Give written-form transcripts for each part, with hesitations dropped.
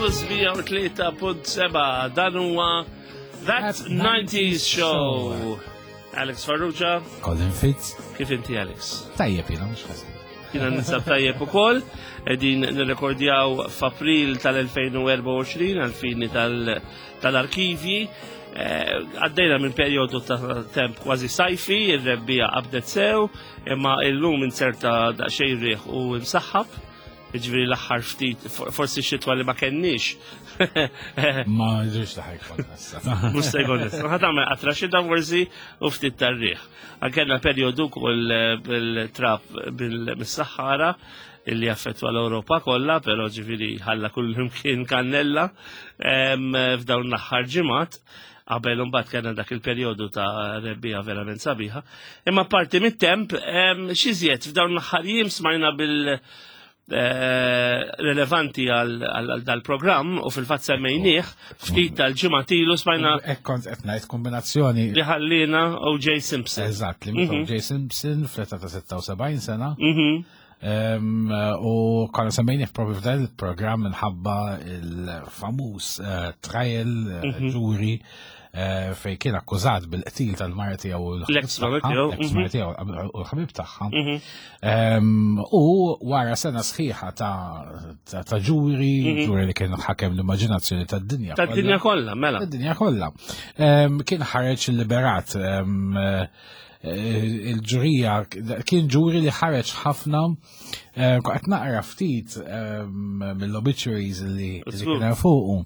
Plus 103.7 dan huwa That 90s Show. Alex Farrugia. Colin Fitz. Kif inti Alex? Tajjeb jiena mhux ħażin. Jiena ninsab tajjeb ukoll, qegħdin nirrekordjaw f'April tal-2024 għal-fini tal-arkivji. Eh, għaddejna minn perjodu ta' temp kważi sajfi, ir-rebbija qabdet sew, imma illum inserta daqsxejn riħ u msaħħab Ġifieri l-aħħar ftit, forsi xitwa li ma kenniex. Ma ġiġ taħ jkollna issa. Mhux se jkollna issa. Ħa tagħmel qatra xita forsi u ftit tar-riħ. Kellna perjodu wkoll eh, bil-trap bil-Saħħara illi affettwa l-Ewropa kollha, però ġifieri ħalla kull imkien kannella f'dawn l-aħħar ġimgħat qabel imbagħad kellna dak il-perjodu ta' rebbija verament sabiħa. Imma parti mit-temp, xiżjed f'dawn l-aħħar jiem smajna bil- eh, relevanti għal dal-programm u fil-fatt semmejnieh ftit tal-ġimgħa tilu smajna. Hekk kont qed ngħid kombinazzjoni. Li ħallina O.J. Simpson. Eżatt, li O.J. Simpson fl-età ta' 76 sena. U konna semmejnieh propju f'dan il-programm minħabba il-famuż eh, trial eh, mhm. ġuri eh, fej kien akkużat bil-qtil tal-mara tiegħu l-ex mara tiegħu l-ex mara tiegħu u l-ħabib tagħha. Mhm. U wara sena sħiħa ta' ġuri, mhm. ġuri li kien ħakem l-immaġinazzjoni tad-dinja. Tad-dinja kollha, mela. Tad-dinja kollha. Kien ħareġ liberat Eh, il-ġurija kien ġuri li ħareġ ħafna eh, qed naqra ftit ehm, mill-obituaries li kien fuqu.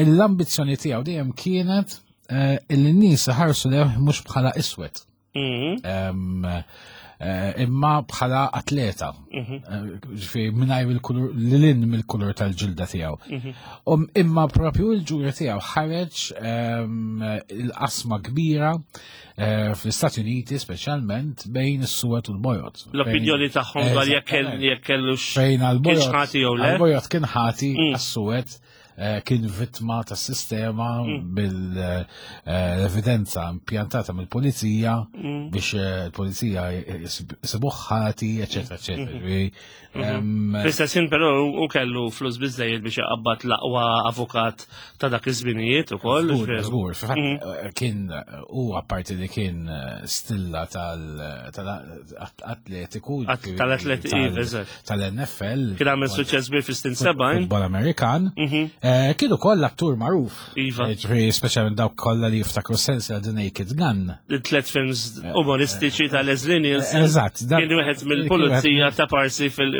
L-ambizzjoni tiegħu dejjem kienet eh, li n-nies ħarsu leh mhux bħala iswed. Mhm. Ehm, imma bħala atleta. Mhm. Ġifieri mingħajr il-kulur lilin mill-kulur tal-ġilda tiegħu. Mhm. Um, imma propju il-ġuri tiegħu ħareġ ehm, il-qasma kbira Eh, fl-Istati Uniti speċjalment bejn is-suwed u l-bojod. L-opinjoni tagħhom dwar jekk kellux fejn għall-bojod ħati jew le. Għall-bojod kien ħati mm. għas-suwed eh, kien vittma tas sistema mm. bil-evidenza impjantata mill-pulizija mm. biex eh, il-pulizija jisibuh ħati, eċetera, eċetera. Mm-hmm. Mhm. Fl-istess ħin però u kellu flus biżejjed biex iqabbad l-aqwa avukat ta' dak iż-żminijiet ukoll. Żgur, mhm. eh, kien u apparti li kien eh, stilla tal-atletiku. Tal-atletiku, iva, tal-NFL. Kien għamel suċċess bir fis-snin 70. Futbol Amerikan. Mhm. Eh, kien ukoll attur magħruf. Iva. Ġifieri speċjalment dawk kollha li jiftakru sensi The Naked Gun. Tlet films umoristiċi ta' Leslie Nielsen. Eżatt. Kien wieħed mill-pulizija ta' parsi fil-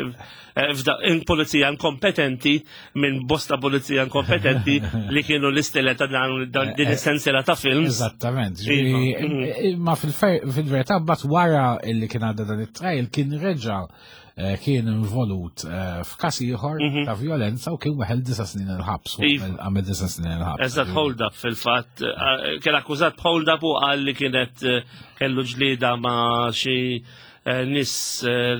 eh, pulizija inkompetenti minn bosta pulizija inkompetenti li kienu l-istella ta' dan din eh, is-sensiela ta' films. Eżattament. Iva. Mhm. Ma fil-verità bat wara illi kien għadda dan it-trail kien reġa' Eh, kien involut eh, f'każ ieħor mhm. ta' violenza u kien weħel disa' snin il-ħabs. Iva. Għamel disa' snin il-ħabs. Eżatt hold up fil-fatt. Eh, kien akkużat hold up u qal li kienet kellu ġlieda ma' xi nis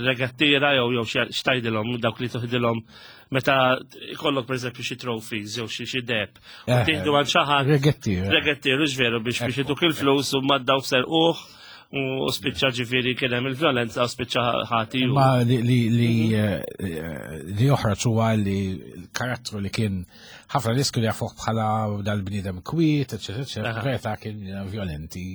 regattira jew jew xtajdilhom dawk li toħdilhom meta ikollok pereżempju xi trophies jew xi xi deb. U tieħdu għal xi ħadd. Regattier. Regattier, veru biex biex iduk il-flus u maddaw serquh u spiċċa ġifieri kien hemm il-vjolenza u spiċċa ħati. Ma li li li eh, li joħroġ huwa li l-karattru li kien ħafna nies kienu jafuh bħala dal-bniedem kwiet, eċetera, eċetera, verità kien violenti.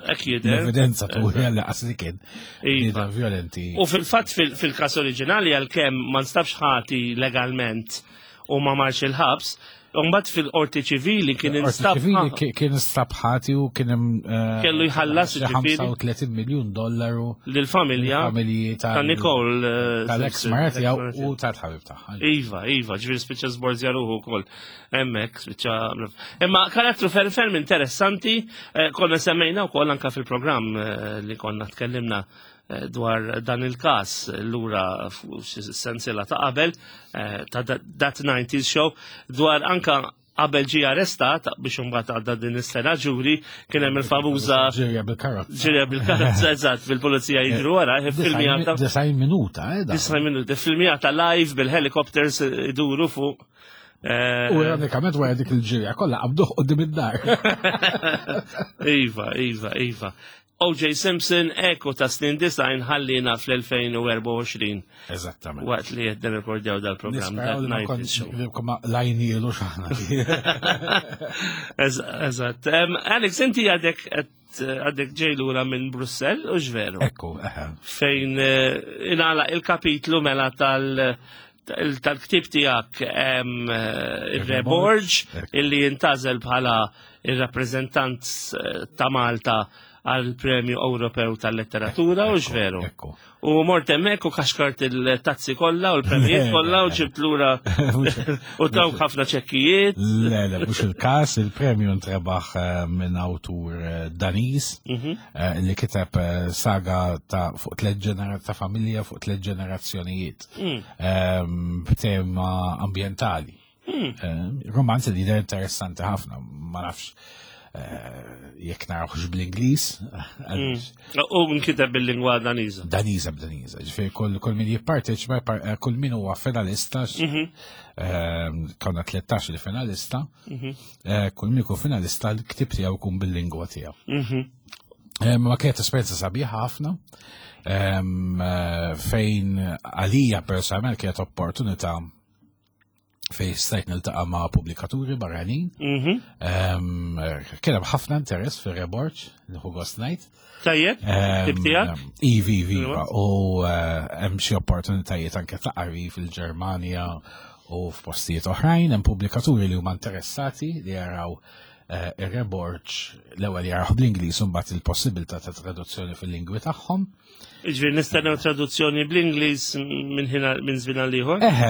Hekk jidher. L-evidenza turi għal qas li kien Iva. bniedem violenti. U fil-fatt fil-każ oriġinali għalkemm ma nstabx ħati legalment u ma marx il-ħabs, Umbat fil-qorti ċivili kien instab. ċivili kien instab ħati u kien hemm. Eh, Kellu jħallas ġifieri. 35 miljun dollaru. Lill-familja. Familji ta' Nicole. Eh, tal-ex mara tiegħu u tal-ħabib tagħha. Iva, iva, ġifieri spiċċa żborżja ruħu wkoll. Hemmhekk spiċċa. Imma karattru ferm ferm interessanti, eh, konna semmejna wkoll anka fil-programm li konna tkellimna Eh, dwar dan il-kas lura sensiela ta' qabel eh, ta' That 90s Show dwar anka qabel ġie arrestat biex imbagħad għadda din is-sena ġuri kien hemm il-famuża ġirja bil-karozza. Ġirja bil-karozza eżatt bil-pulizija jiġru wara filmjata. Disajn minuta, eh. Disajn minuta, filmjata live bil-helicopters iduru fuq. Eh, u ironikament wara dik il-ġirja kollha qabduh qudiem id-dar. Iva, iva, iva. O.J. Simpson, Eko ta' snin design ħallina fl-2024. Eżattament. Waqt li qed nirrekordjaw dal-programm ta' Night Show. Lajnielu xaħna. Eżatt. Alex, inti għadek għadek ġej lura minn Brussell u ġveru. Ekku, eħe. Fejn eh, inala il-kapitlu mela tal- tal-ktib tijak eh, il-Reborġ illi jintazel bħala il-rappresentant eh, ta' Malta għal Premju Ewropew tal-Letteratura u x'veru. U mort hemmhekk u kaxkart il-tazzi kollha u l-premjiet kollha u ġibt lura u dawk ħafna ċekkijiet. Le, le, mhux il-każ, il-premju ntrebaħ eh, minn awtur eh, Daniż mhm. eh, li kiteb saga ta' fuq tliet ġenera ta' familja fuq tliet ġenerazzjonijiet mm. ehm, b'tema ambjentali. Hmm. Romanz li jidher interessanti ħafna, ma nafx eh, jekk narawx bl-Ingliż. Hmm. U nkiteb bil-lingwa Daniża. Daniża b'Daniża, ġifieri kull min jipparteċipa, eh, kull min huwa finalista, mhm. eh, konna 13 il-finalista, mhm. kull min ikun finalista l-ktib tiegħu jkun bil-lingwa tiegħu. Mhm. Ma kienet esperjenza sabiħa ħafna fejn għalija personalment kienet opportunità fej stajt niltaqa' ma' pubblikaturi barranin. Mhm. Kien hemm ħafna interess fir-reborġ li ħu gost ngħid. Tajjeb, tip tiegħek? Ivi, ivi, u eh, hemm xi opportunitajiet anke ta' qari fil-Ġermanja u f'postijiet oħrajn, hemm pubblikaturi li huma interessati li jaraw eh, ir-reborġ l-ewwel jaraw bl-Ingliż u mbagħad il-possibilità ta' traduzzjoni fil-lingwi tagħhom. Ġifieri nistennew traduzzjoni bl-Ingliż minn ħina minn żmien għal ieħor? Eħe,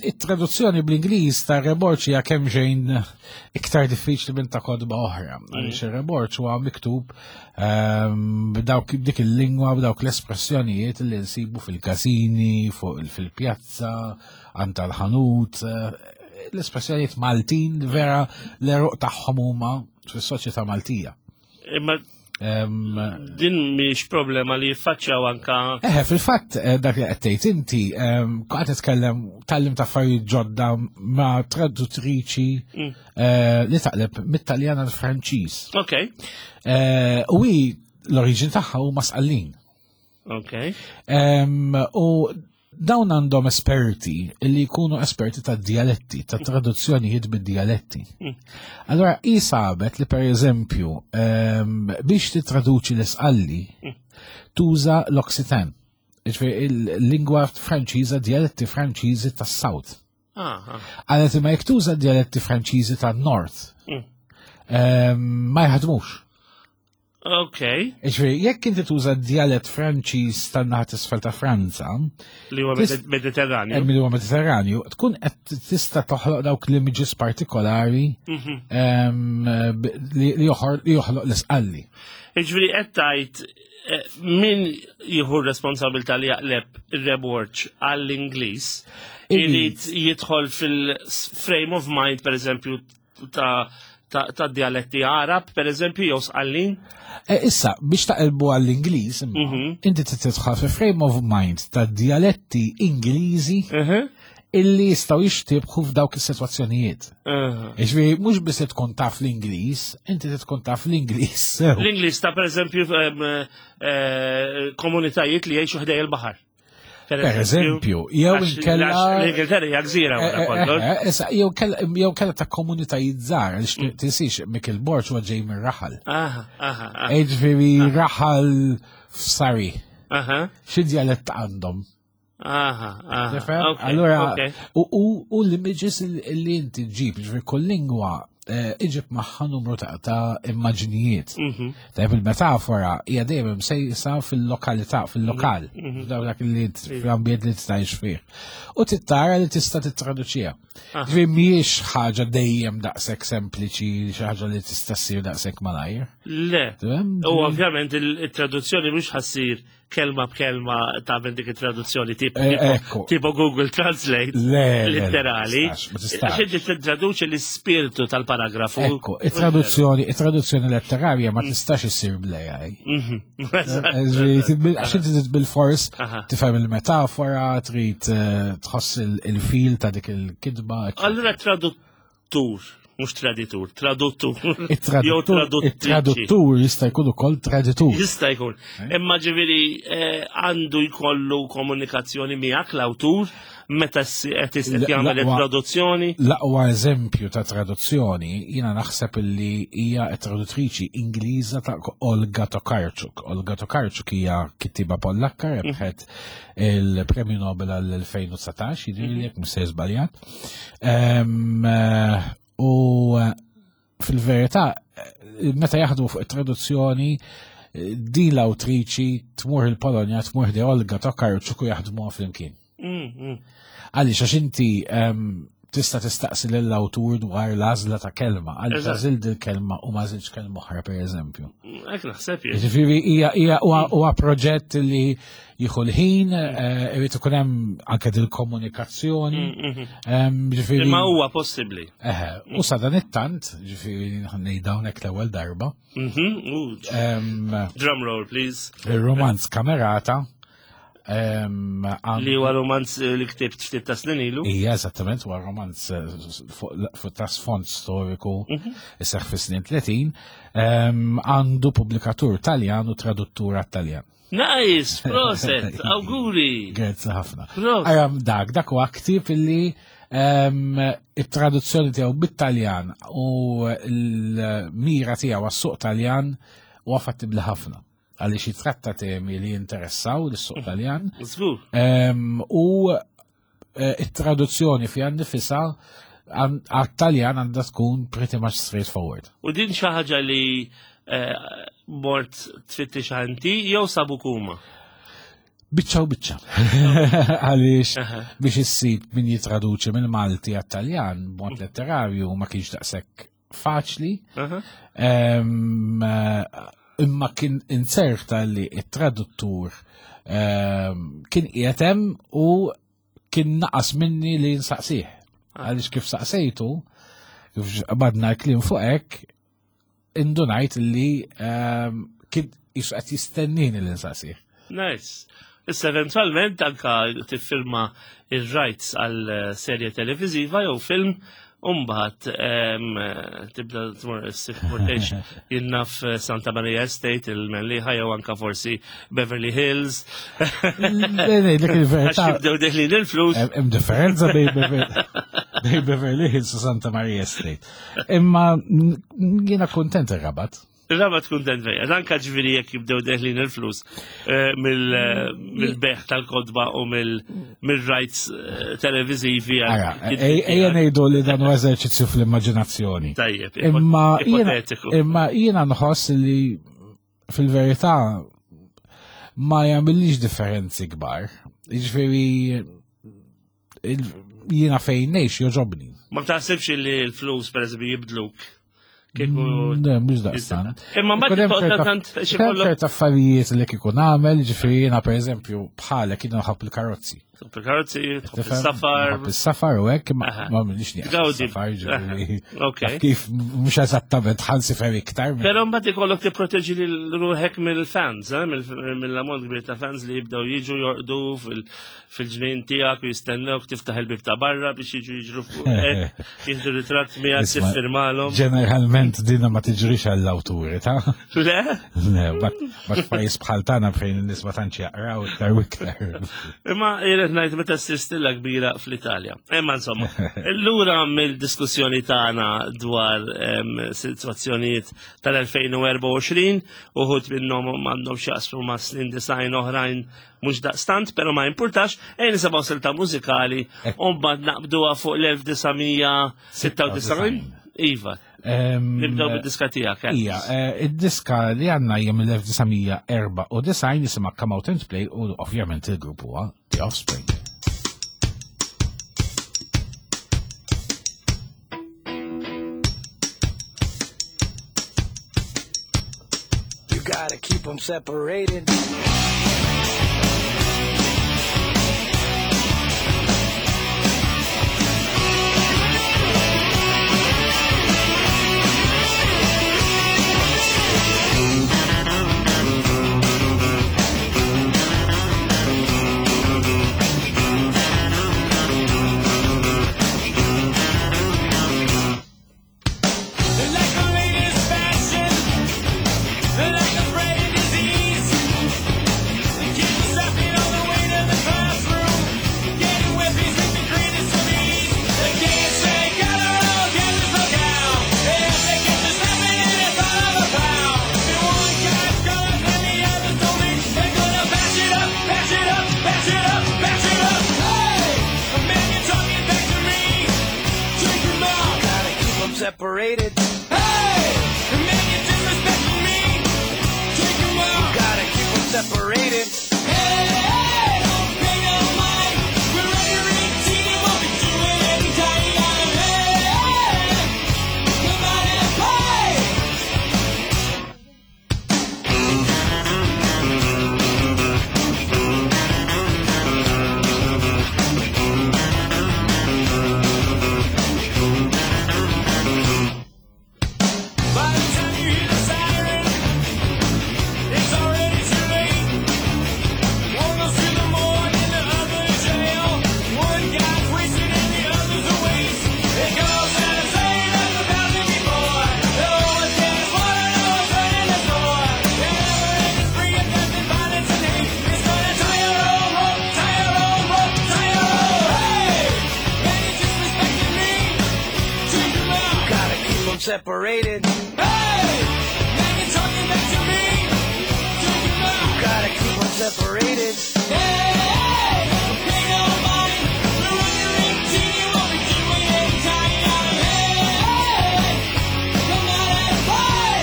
it-traduzzjoni bl-Ingliż ta' Reborċ hija kemm xejn iktar diffiċli minn ta' kodba oħra. Mm. Għaliex ir-Reborċ huwa miktub b'dawk dik il-lingwa b'dawk l-espressjonijiet li nsibu fil-każini, fil-pjazza, għand tal-ħanut, eh, l-espressjonijiet Maltin vera l-eruq tagħhom huma fis-soċjetà Maltija. Imma din mhix problema li jiffaċċjaw anka. Eħe, fil-fatt eh, dak li qed tgħid inti qed titkellem tallim ta' affarijiet ġodda ma' traduttriċi mm. eh, li taqleb mit-Taljan għal Franċiż. Ok. Eh, u hi l-oriġin tagħha huma Sqallin. Ok. U dawn għandhom esperti li jkunu esperti ta' dialetti, ta' traduzzjonijiet bid-dialetti. Hmm. Allora, hi sabet li per eżempju, biex titraduċi l-isqalli, hmm. tuża l-Occitan, ġifieri il-lingwa Franċiża, dialetti Franċiżi tas-South. Għalet imma jekk tuża dialetti Franċiżi tan-North, hmm. ma jaħdmux. Ok. Iġri, jekk inti tuża dialett Franċiż tan-naħa t'isfel ta' Franza. Li huwa Mediterranju. Eh, li huwa Mediterranju, tkun qed tista' toħloq dawk l-images partikolari mhm. li joħloq l-isqalli. Iġri, qed tgħid eh, min jieħu r-responsabilità li jaqleb ir-reborġ għall-Ingliż irid jidħol fil-frame of mind, per eżempju, ta' ta' dialetti Arab, per eżempju, jew sqallin? E, issa, biex taqilbu għall-Ingliż, mhm. inti titħol fi frame of mind ta' dialetti Ingliżi mhm. illi jistaw jixtibħu f'dawk is-sitwazzjonijiet. Iġvi, mhux biss tkun taf l-Ingliż, inti tkun taf l-Ingliż. L-Ingliż ta' per eżempju eh, komunitajiet li jgħixu ħdej il-baħar. Per eżempju, jew inkella. L-Ingilterra hija gżira wara eh, eh, kollox. Eh, issa, jew kella ta' komunitajiet żgħar, għaliex mm. tinsiex Mikil Borġ huwa ġej minn raħal. Ġifieri raħal f'Sari. Xi djalett għandhom? Aha, aha. Allora, u l-images li inti ġib, ġifieri kull lingwa Eh, iġib magħha numru ta' immaġnijiet. Mhm. Tajb il-metafora hija dejjem msejsa fil-lokalità, fil-lokal, mhm, mhm. f'dawk dak li fl-ambjent li tgħix fih. U tittara li tista' tittraduċiha. Ah. Ġifieri mhijiex ħaġa dejjem daqshekk sempliċi, xi ħaġa li tista' ssir daqshekk malajr. Le. U ovvjament il-traduzzjoni mhux ħassir kelma b'kelma tagħmel dik it-traduzzjoni tipo eh, tipo Google Translate letterali. Għax inti titraduċi l-ispirtu tal-paragrafu. Ekku, it-traduzzjoni, it-traduzzjoni letterarja ma mm. tistax issir bl-AI. Mhm. Eh, għax inti bil-fors tifhem il-metafora, trid eh, tħoss il-fil ta' dik il-kitba. Allura tradut. Traduttur, mhux traditur, traduttur. Jew Traduttur jista' jkun ukoll traditur. Jista' jkun. Eh? Imma ġifieri eh, għandu jkollu komunikazzjoni miegħek l-awtur meta qed jagħmel it-traduzzjoni. L-aqwa eżempju ta' traduzzjoni jiena naħseb li hija traduttriċi Ingliża ta' Olga Tokarczuk. Olga Tokarczuk hija kittiba Pollakka mhm. rebħet il-Premju Nobel għal-2019, jiġifieri mhm. jekk mhux se żbaljat. Eh, u eh, fil-verità, eh, meta jaħdmu fuq it-traduzzjoni, din l-awtriċi tmur il-Polonja, tmur di Olga Tokarczuk u jaħdmuha flimkien. Mm, mm. Għaliex għax inti tista' tistaqsi lill-awtur dwar l-għażla ta' kelma, għaliex għażilt il-kelma u ma għażiltx kelma oħra pereżempju. Hekk naħseb jien. Ġifieri hija hija huwa proġett li jieħu l-ħin, eh, irid ikun hemm anke dil-komunikazzjoni. Mm, mm-hmm. Ġifieri Imma huwa possibbli. Eħe, u sa dan it-tant, ġifieri ngħid hawnhekk l-ewwel darba. Mm-hmm. Drum roll, please. Il-romanz kamerata Li huwa romanz eh, li ktibt ftit ta' snin ilu. Ija, eżattament, huwa romanz eh, fuq ta' sfond storiku mhm. isseħ fi snin 30, għandu pubblikatur Taljan u traduttur Taljan. Nice, proset, auguri. Grazzi ħafna. Għajam dak, dak huwa ktib illi it-traduzzjoni tiegħu bit-Taljan u l-mira tiegħu għas-suq Taljan huwa fattibli ħafna. għaliex jitratta temi li jinteressaw l-suq Taljan. U eh, it-traduzzjoni fiha nifisha għat-Taljan għandha tkun pretty much straightforward. U din xi ħaġa li eh, mort tfittix għanti jew sabu kuma? Biċċa u biċċa. Għaliex biex issib min jitraduċi mill-Malti għat-Taljan b'mod letterarju ma kienx daqshekk faċli. Eh, imma kien inserta li it-traduttur kien qiegħed hemm u kien naqas minni li nsaqsih. Ah. Għaliex kif saqsejtu, kif badna l-kliem fuq hekk, indunajt li kien jisu qed jistennini li nsaqsih. Nice. Issa eventualment anka tiffirma ir-rights għal eh, serje televiziva jew film Umbat, tibda tmur s-sifurtex jinnaf eh, Santa Maria Estate, il-Melliħa, jew anka forsi Beverly Hills. Le, dik il-verità. Jibdew deħlin il-flus. Hemm differenza bej Beverly Hills u Santa Maria Estate. Imma jiena kontent ir-rabat. Rabat kuntent fejja, anka ġviri jekk jibdew deħlin il-flus eh, eh, mill-beħ tal-kodba u mill-rights eh, televizivi. Ejja ngħidu li dan u eżerċizzju fl-immaġinazzjoni. Tajjeb, imma jiena nħoss li fil-verità ma jagħmilix differenzi kbar. Jiġifieri jiena fejn ngħix joġobni. Ma taħsibx li l-flus pereżempju jibdluk kieku. Mm, le, mhux daqstant. Imma mbagħad tant xi kollok. affarijiet li kieku nagħmel, ġifieri jiena pereżempju bħalek jiena nħobb il-karozzi. Tħobb il-karozzi, tħobb il-safar. Tħobb il-safar u hekk ma minix nieqaf. Ġifieri. Kif mhux eżattament ħansifer iktar. Però mbagħad ikollok tipproteġi lil ruħek mill-fans, eh, mill-ammont kbir ta' fans li jibdew jiġu jorqdu fil- fil-ġnien tiegħek u jistennewk tiftaħ il-bib ta' barra biex jiġu jiġru fuq jieħdu ritratt miegħek tiffirmalhom. Ġeneralment dina ma tiġrix għall-awturi, ta' Le? Le, bat pajjiż bħal tagħna fejn in-nies ma tantx jaqraw iktar u iktar. Imma jrid ngħid meta ssir stilla kbira fl-Italja. Imma insomma, lura mill-diskussjoni tagħna dwar sitwazzjonijiet tal-2024 uħud minnhom m'għandhom x'jaqsmu ma' snin design oħrajn mhux daqstant, però ma jimpurtax, ejn nisimgħu silta mużikali u mbagħad naqbduha fuq l-1996. Iva. Nibdew bid-diska tiegħek. Eh. Ija, eh, id-diska li għandna hija mill-1994 jisimha Come Out and Play u ovvjament il-grupp huwa The Offspring. You gotta keep them separated. separated. Hey! Man, you're disrespecting me. Take 'em out. Gotta keep 'em separated. Hey, hey, don't pay no mind. We're under 18 and we'll be doing anytime. Hey, hey, come out and play. By the time you hear the siren, it's already too late. One goes to the morgue and the other to jail. One guy's wasted and the other's a waste. It goes out of saying as a thousand before. No one cares what I know is running the store. The never-ending spree of death and violence and hate. It's gonna tie your own rope, tie your own rope, tie your own. Hey, man, you're disrespecting me. Take 'em out. Gotta keep 'em separated. Hey, man, you're talking back to me. Take 'em out. Gotta keep 'em separated. Hey, hey, don't pay no mind. We're under 18 and we'll be doing anytime. Hey, hey, come out and play.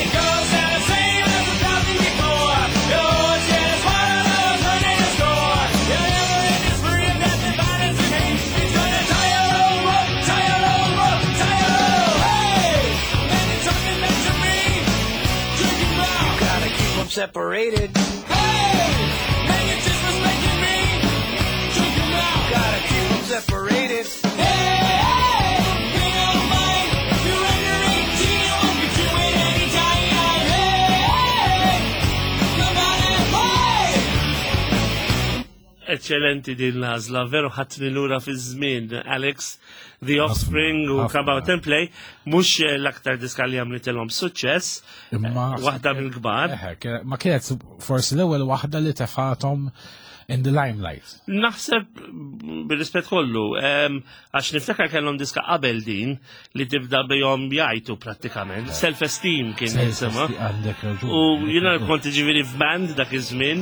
It goes out the same as a thousand before. You're just one of those running the score. You're never in this free of death and violence and hate. It's gonna tie your own rope, tie your own rope, tie your own. Hey, man, you're talking back to me. Drink 'em out. Gotta keep 'em separated. Hey, man, you're disrespecting me. Drink 'em out. Gotta keep 'em separated. Hey, hey, don't pay no mind. You're under 18, you won't be doing anytime. Hey, hey, come out and play. Eccellenti din l-għażla, veru ħadtni lura fi żmien, Alex, The Offspring u ħafna. Come Out and Play, mhux l-aktar diska li għamlitilhom suċċess, Imma waħda mill-kbar. Eħe, ma kienet forsi l-ewwel waħda li tefathom in the limelight. Naħseb bil-rispett kollu, għax niftakar kellhom diska qabel din li tibda bihom jgħajtu prattikament. Self-esteem kien jisimha. Għandek raġun. U għandek jiena raġun. kont ġifieri f'band dak iż-żmien,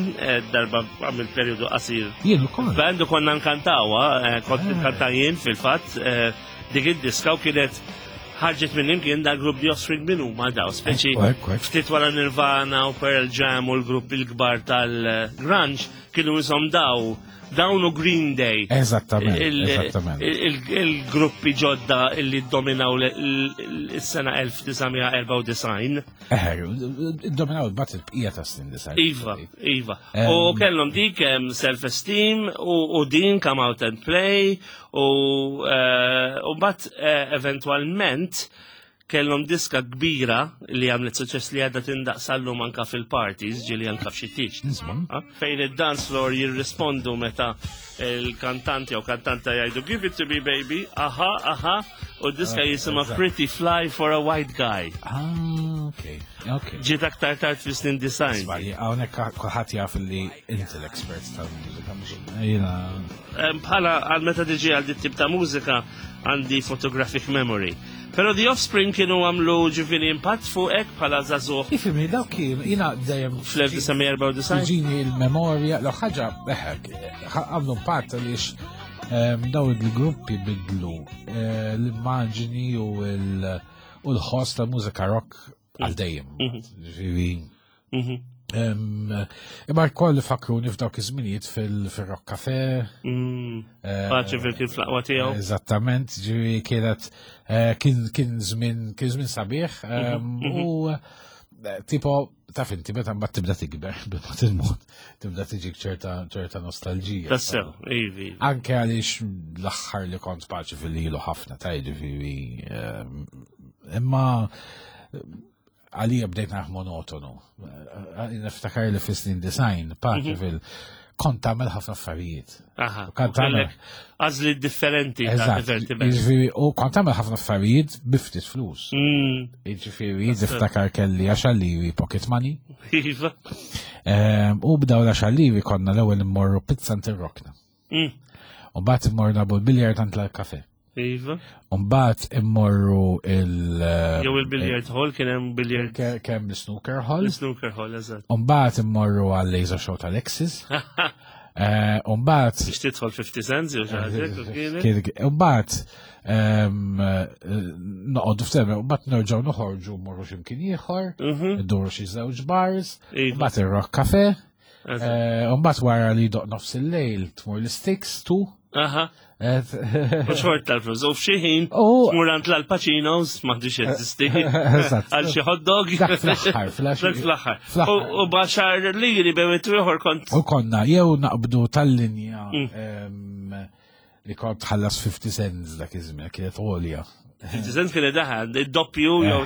darba għamil periodu qasir. Jien ukoll. Band u konna nkantawa, kont nkanta jien fil-fatt, dik id-diska u kienet ħarġet minn imkien da grupp The Offspring minn huma daw, speċi Ekku, ekku, ekku. ftit wara Nirvana u Pearl Jam u l-grupp il-kbar tal-grunge kienu jisom daw, dawn u Green Day. Eżattament, eżattament. Il-gruppi ġodda illi dominaw l-sena 1994. Eħe, dominaw il-bat il-bqija ta' snin disajn. Iva, iva. U kellhom dik self-esteem u din come out and play u mbagħad eventwalment kellhom diska kbira li għamlet suċċess li għadha tindaqsallum anka fil-parties, ġieli anka f'xi tieġ tisma'. Fejn id-dance floor jirrispondu meta il-kantanti jew kantanta jgħidu give it to me baby, aha, aha, u d-diska jisimha Pretty Fly for a White Guy. Ah, ok, ok. Ġiet aktar tard fi snin design. Sbagli, hawnhekk kulħadd jaf li inti l-expert tal-mużika mhux jiena. Bħala għal meta tiġi għal dit tip ta' mużika għandi photographic memory. Pero The Offspring kienu għamlu ġifieri impatt fuqek bħala żagħżugħ Ifimni, dawk kien, jiena dejjem fl-1994. Tiġini il-memorja, l ħaġa, eħek, għamlu impatt għaliex daw il-gruppi bidlu l-immaġini u l-ħoss ta' mużika rock għal dejjem. Ġifieri, Imma koll fakruni f'dawk iż-żminijiet fil-Rock Cafe. Paċi fil-kien fl-aqwa tiegħu. Eżattament, ġifieri kienet kien żmien kien żmien sabiħ u tipo taf inti meta mbagħad tibda tikber bil-mod il-mod tibda tiġik ċerta ċerta nostalġija. Tassew, ivi. Anke għaliex l-aħħar li kont paċi fil-ilu ħafna ta' ġifieri imma għalija bdejt naħ monotonu. Niftakar li fis-snin design, paċi fil kont tagħmel ħafna affarijiet. Aha, Kont tagħmel għażli differenti ta' Eżatt, divertiment. jiġifieri, u kont tagħmel ħafna affarijiet bi ftit flus. Jiġifieri, niftakar kelli għaxar liri pocket money. Iva. U b'daw l-għaxar liri konna l-ewwel immorru pizza għand ir-rokna. U mbagħad immorru nagħbu l-biljard għand l-kafe. Iva. Umbat immorru il- Jew il-billiard hall kien hemm billiard. Kemm l-snooker hall. Snooker hall, eżatt. Umbat immorru għal laser show tal-Axis. Umbat. Biex tidħol 50 cents jew xi ħaġa. Umbat noqogħdu f'teme, umbat nerġgħu noħorġu mmorru x'imkien ieħor, nduru xi żewġ bars, Iva. umbat ir-Rock Cafe. Umbat wara li doq nofs il-lejl tmur l-Sticks tu. Aha. U xort tal-flus. U f'xi ħin, tmur għand l-Al Pacinos, m'għandix jeżisti. Għal xi hot dog. Dak fl-aħħar, fl-aħħar. Fl-aħħar. U baxar liri bejn ieħor kont. U konna jew naqbdu tal-linja li kont tħallas 50 cents dak iż-żmien, kienet għolja. 50 cents kienet daħal, id-doppju jew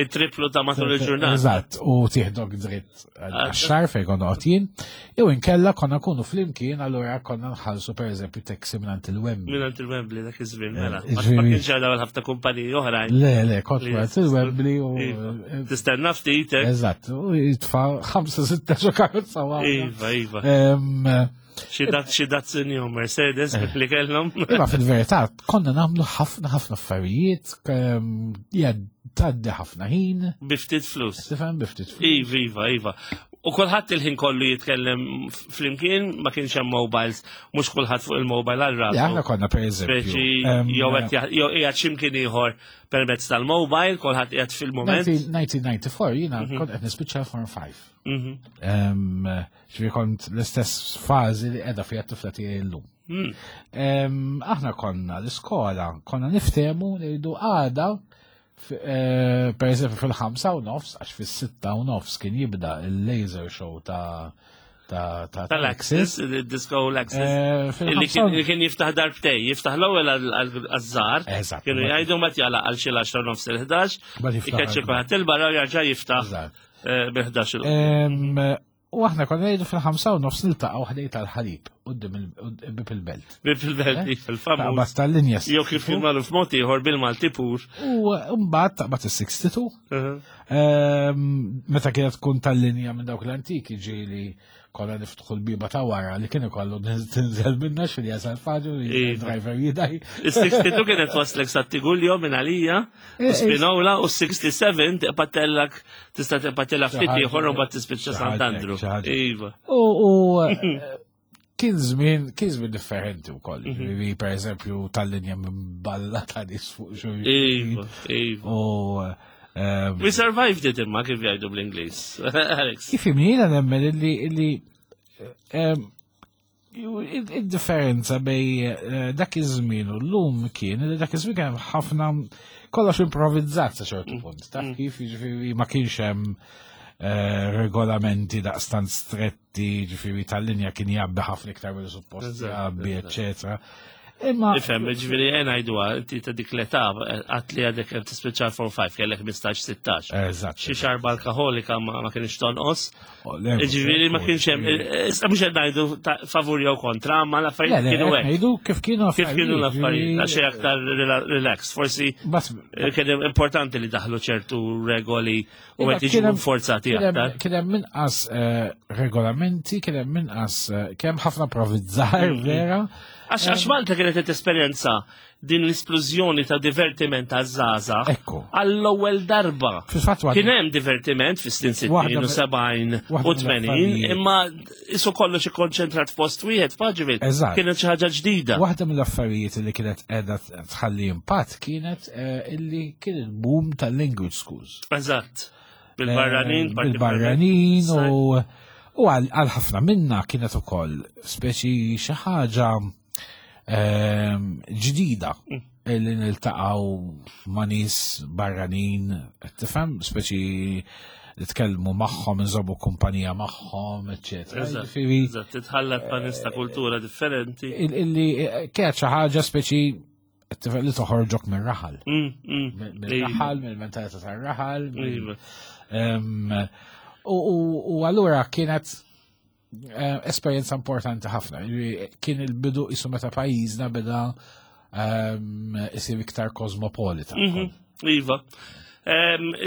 it-triplu ta' matul il-ġurnata. Eżatt, u tieħdok dritt għax-xar fejn konna qed jew inkella konna nkunu flimkien allura konna nħallsu pereżempju taxi mingħand il-Wembley. Mingħand il-Wembley dak iż-żmien mela. Ma kienx għadha ħafna kumpaniji oħrajn. Le, le, kont mingħand il-Wembley u iva. Tistenna ftit. Eh? Eżatt, u jitfa' 5 6 karozza waħda. Iva, iva. Xi Datsun jew Mercedes eh. li kellhom. Imma fil-verità konna nagħmlu ħafna ħafna affarijiet, ja tgħaddi ħafna ħin. Biftit flus. Tifhem biftit flus. Iva, iva, iva. U kulħadd il-ħin kollu jitkellem flimkien, ma kienx hemm mobiles, mhux kulħadd fuq il-mobile għal rasu. Aħna konna pereżempju. Jew qed qiegħed x'imkien ieħor permezz tal-mobile, kulħadd qiegħed fil-mument. 1994 jiena mhm. kont qed nispiċċa Form 5. Mhm. Ġifieri kont l-istess fażi li qiegħda fiha t-tifla tiegħi llum. Hmm. Aħna konna l-iskola, konna niftehmu ngħidu għada eh, per eżempju fil-5 u nofs, għax fis-6 u nofs kien jibda il-laser show ta' ta' tal-Axis, il-disco l-Axis. Eh, li kien jiftaħ darbtej, jiftaħ l-ewwel għaż-żgħar. Kienu jgħidu ma tjala għal xi l-10 nofs il-11, ikeċċi kulħadd il-barra jarġa' jiftaħ eh, bil-11. U aħna konna ngħidu fil-5:30 niltaqgħu ħdej tal-ħalib quddiem il-bib il-belt. Bib il-belt, eh? il-famuż. Taqbad tal-linja. Jew kif kien magħruf mod ieħor bil-Malti pur. U mbagħad taqbad is-62. Ehm, meta kienet tkun tal-linja minn dawk l-antiki ġieli konna niftħu l-biba ta' wara li kien ikollu tinżel minna xil jasal faġu li iva. driver jidaj. Is-62 kienet waslek sa' Tiguljo minn għalija, u Spinola u 67 tiqpatellak tista' tiqpatella ftit ieħor u mbagħad tispiċċa Sant'Andru. Iva. U kien żmien kien żmien differenti wkoll. Mhm. Per eżempju tal-linja minn balla ta' nies fuq xulxin. Iva, iva. U We survived it imma kif jgħidu bl-Ingliż. Alex. Kif jiena nemmen illi illi id-differenza bej eh, dak iż-żmien u llum kien li dak iż-żmien kien ħafna kollox improvvizzat sa ċertu mm. punt. Taf mm. kif jiġifieri ma kienx hemm eh, regolamenti daqstant stretti, jiġifieri tal-linja kien jgħabbi ħafna iktar mill suppost jgħabbi, eċetera. Imma. Ifhem, ġifieri jena ngħidu inti ta' dik l-età għat li għadek hemm tispiċċa 4-5 kellek 15-16. Eżatt. Xi xarba alkoholika ma kienx tonqos. Oh, ġifieri ma kienx hemm, issa mhux qed ngħidu favur jew kontra, ma l-affarijiet kienu hekk. Ngħidu kif kienu Kif kienu l-affarijiet, għax aktar relax. Forsi eh, kien importanti li daħlu ċertu regoli u qed jiġu forzati aktar. Kien hemm inqas eh, regolamenti, kien hemm inqas eh, kien hemm ħafna provizzar mm-hmm. vera. Għax għax Malta kienet qed esperjenza din l-isplużjoni ta' divertiment ta' zaza għall-ewwel darba. Kien hemm divertiment fis-snin 60 u 70 u 80, imma isu kollox ikkonċentrat f'post wieħed faġivil. Kienet xi ħaġa ġdida. Waħda mill-affarijiet li kienet qiegħda tħalli impatt kienet eh, illi kien il-boom tal-language schools. Eżatt. Bil-barranin, eh, bil-barranin u u għal ħafna minna kienet ukoll speċi xi ħaġa ehm, ġdida mm. li niltaqgħu ma' nies barranin, tifhem, speċi nitkellmu magħhom, nżommu kumpanija magħhom, eċetera. Eżatt, titħallat ma' nies ta' kultura differenti. Illi eh, kienet xi ħaġa speċi li toħorġok minn raħal. Mm, mm. Minn raħal, minn mentalità tar-raħal. Iva. U allura kienet eh, esperjenza importanti ħafna. Kien il-bidu isu meta pajjiżna beda isir iktar kosmopolita. Mhm. Iva.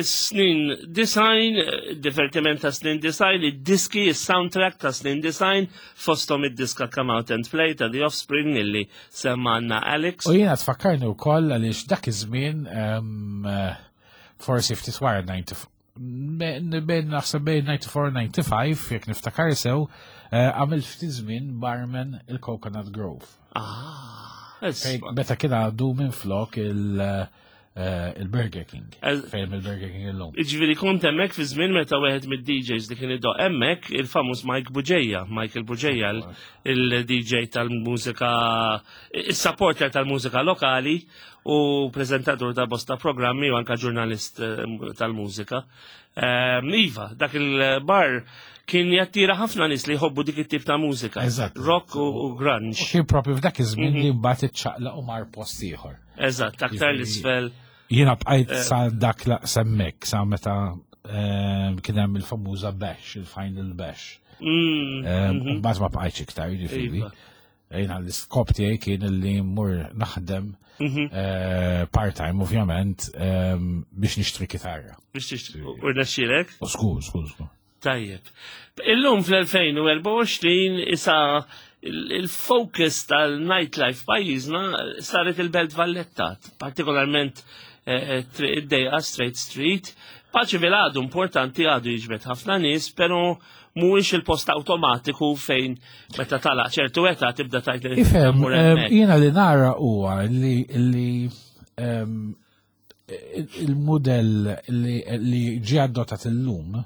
Snin design, divertiment ta' snin design, id-diski, il-soundtrack ta' snin design, fostom id-diska Come Out and Play ta' The Offspring illi semmanna Alex. U jiena tfakkarni wkoll għaliex dak iż-żmien forsi ftit wara 94, bejn naħseb bejn 94 95 jekk niftakar sew, għamilt ftit żmien barman il-Coconut Grove. Ah, Meta kien għadu minn flok il-Burger King. Fejn il-Burger King illum. Ġifieri kont hemmhekk fi żmien meta wieħed mid-DJs li kien idoq hemmhekk il-famuż Mike Buġeja, Michael Buġeja, il-DJ tal-mużika, il-supporter tal-mużika lokali u prezentatur ta' bosta programmi u anka ġurnalist tal-mużika. Iva, dak il-bar kien jattira ħafna nies li jħobbu dik it-tip ta' mużika. Eżatt. Rock u grunge. U kien propju f'dak iż-żmien li mbagħad iċċaqlaq u mar post ieħor. Eżatt, aktar l-isfel. Jiena bqajt sa dak semmek, sa meta kien hemm il-famuża bash, il-final bash. Mbagħad ma bqajtx iktar, jiġifieri. Jiena l-iskop tiegħi kien li mmur naħdem part-time ovvjament biex nixtri kitarra. Biex tixtri, u rnexxielek? U skur, skur, skur. Tajjeb. Illum fl-2024 isa il-focus tal-nightlife pajjiżna saret il-Belt Valletta, partikolarment id-dejqa Straight Street. Paċeville għadu importanti, għadu jiġbed ħafna nies, pero mhuwiex il-post awtomatiku fejn meta tala ċertu età tibda tajt li Ifhem, tmur hemmhekk. Jiena li nara huwa li il-modell li ġie adottat illum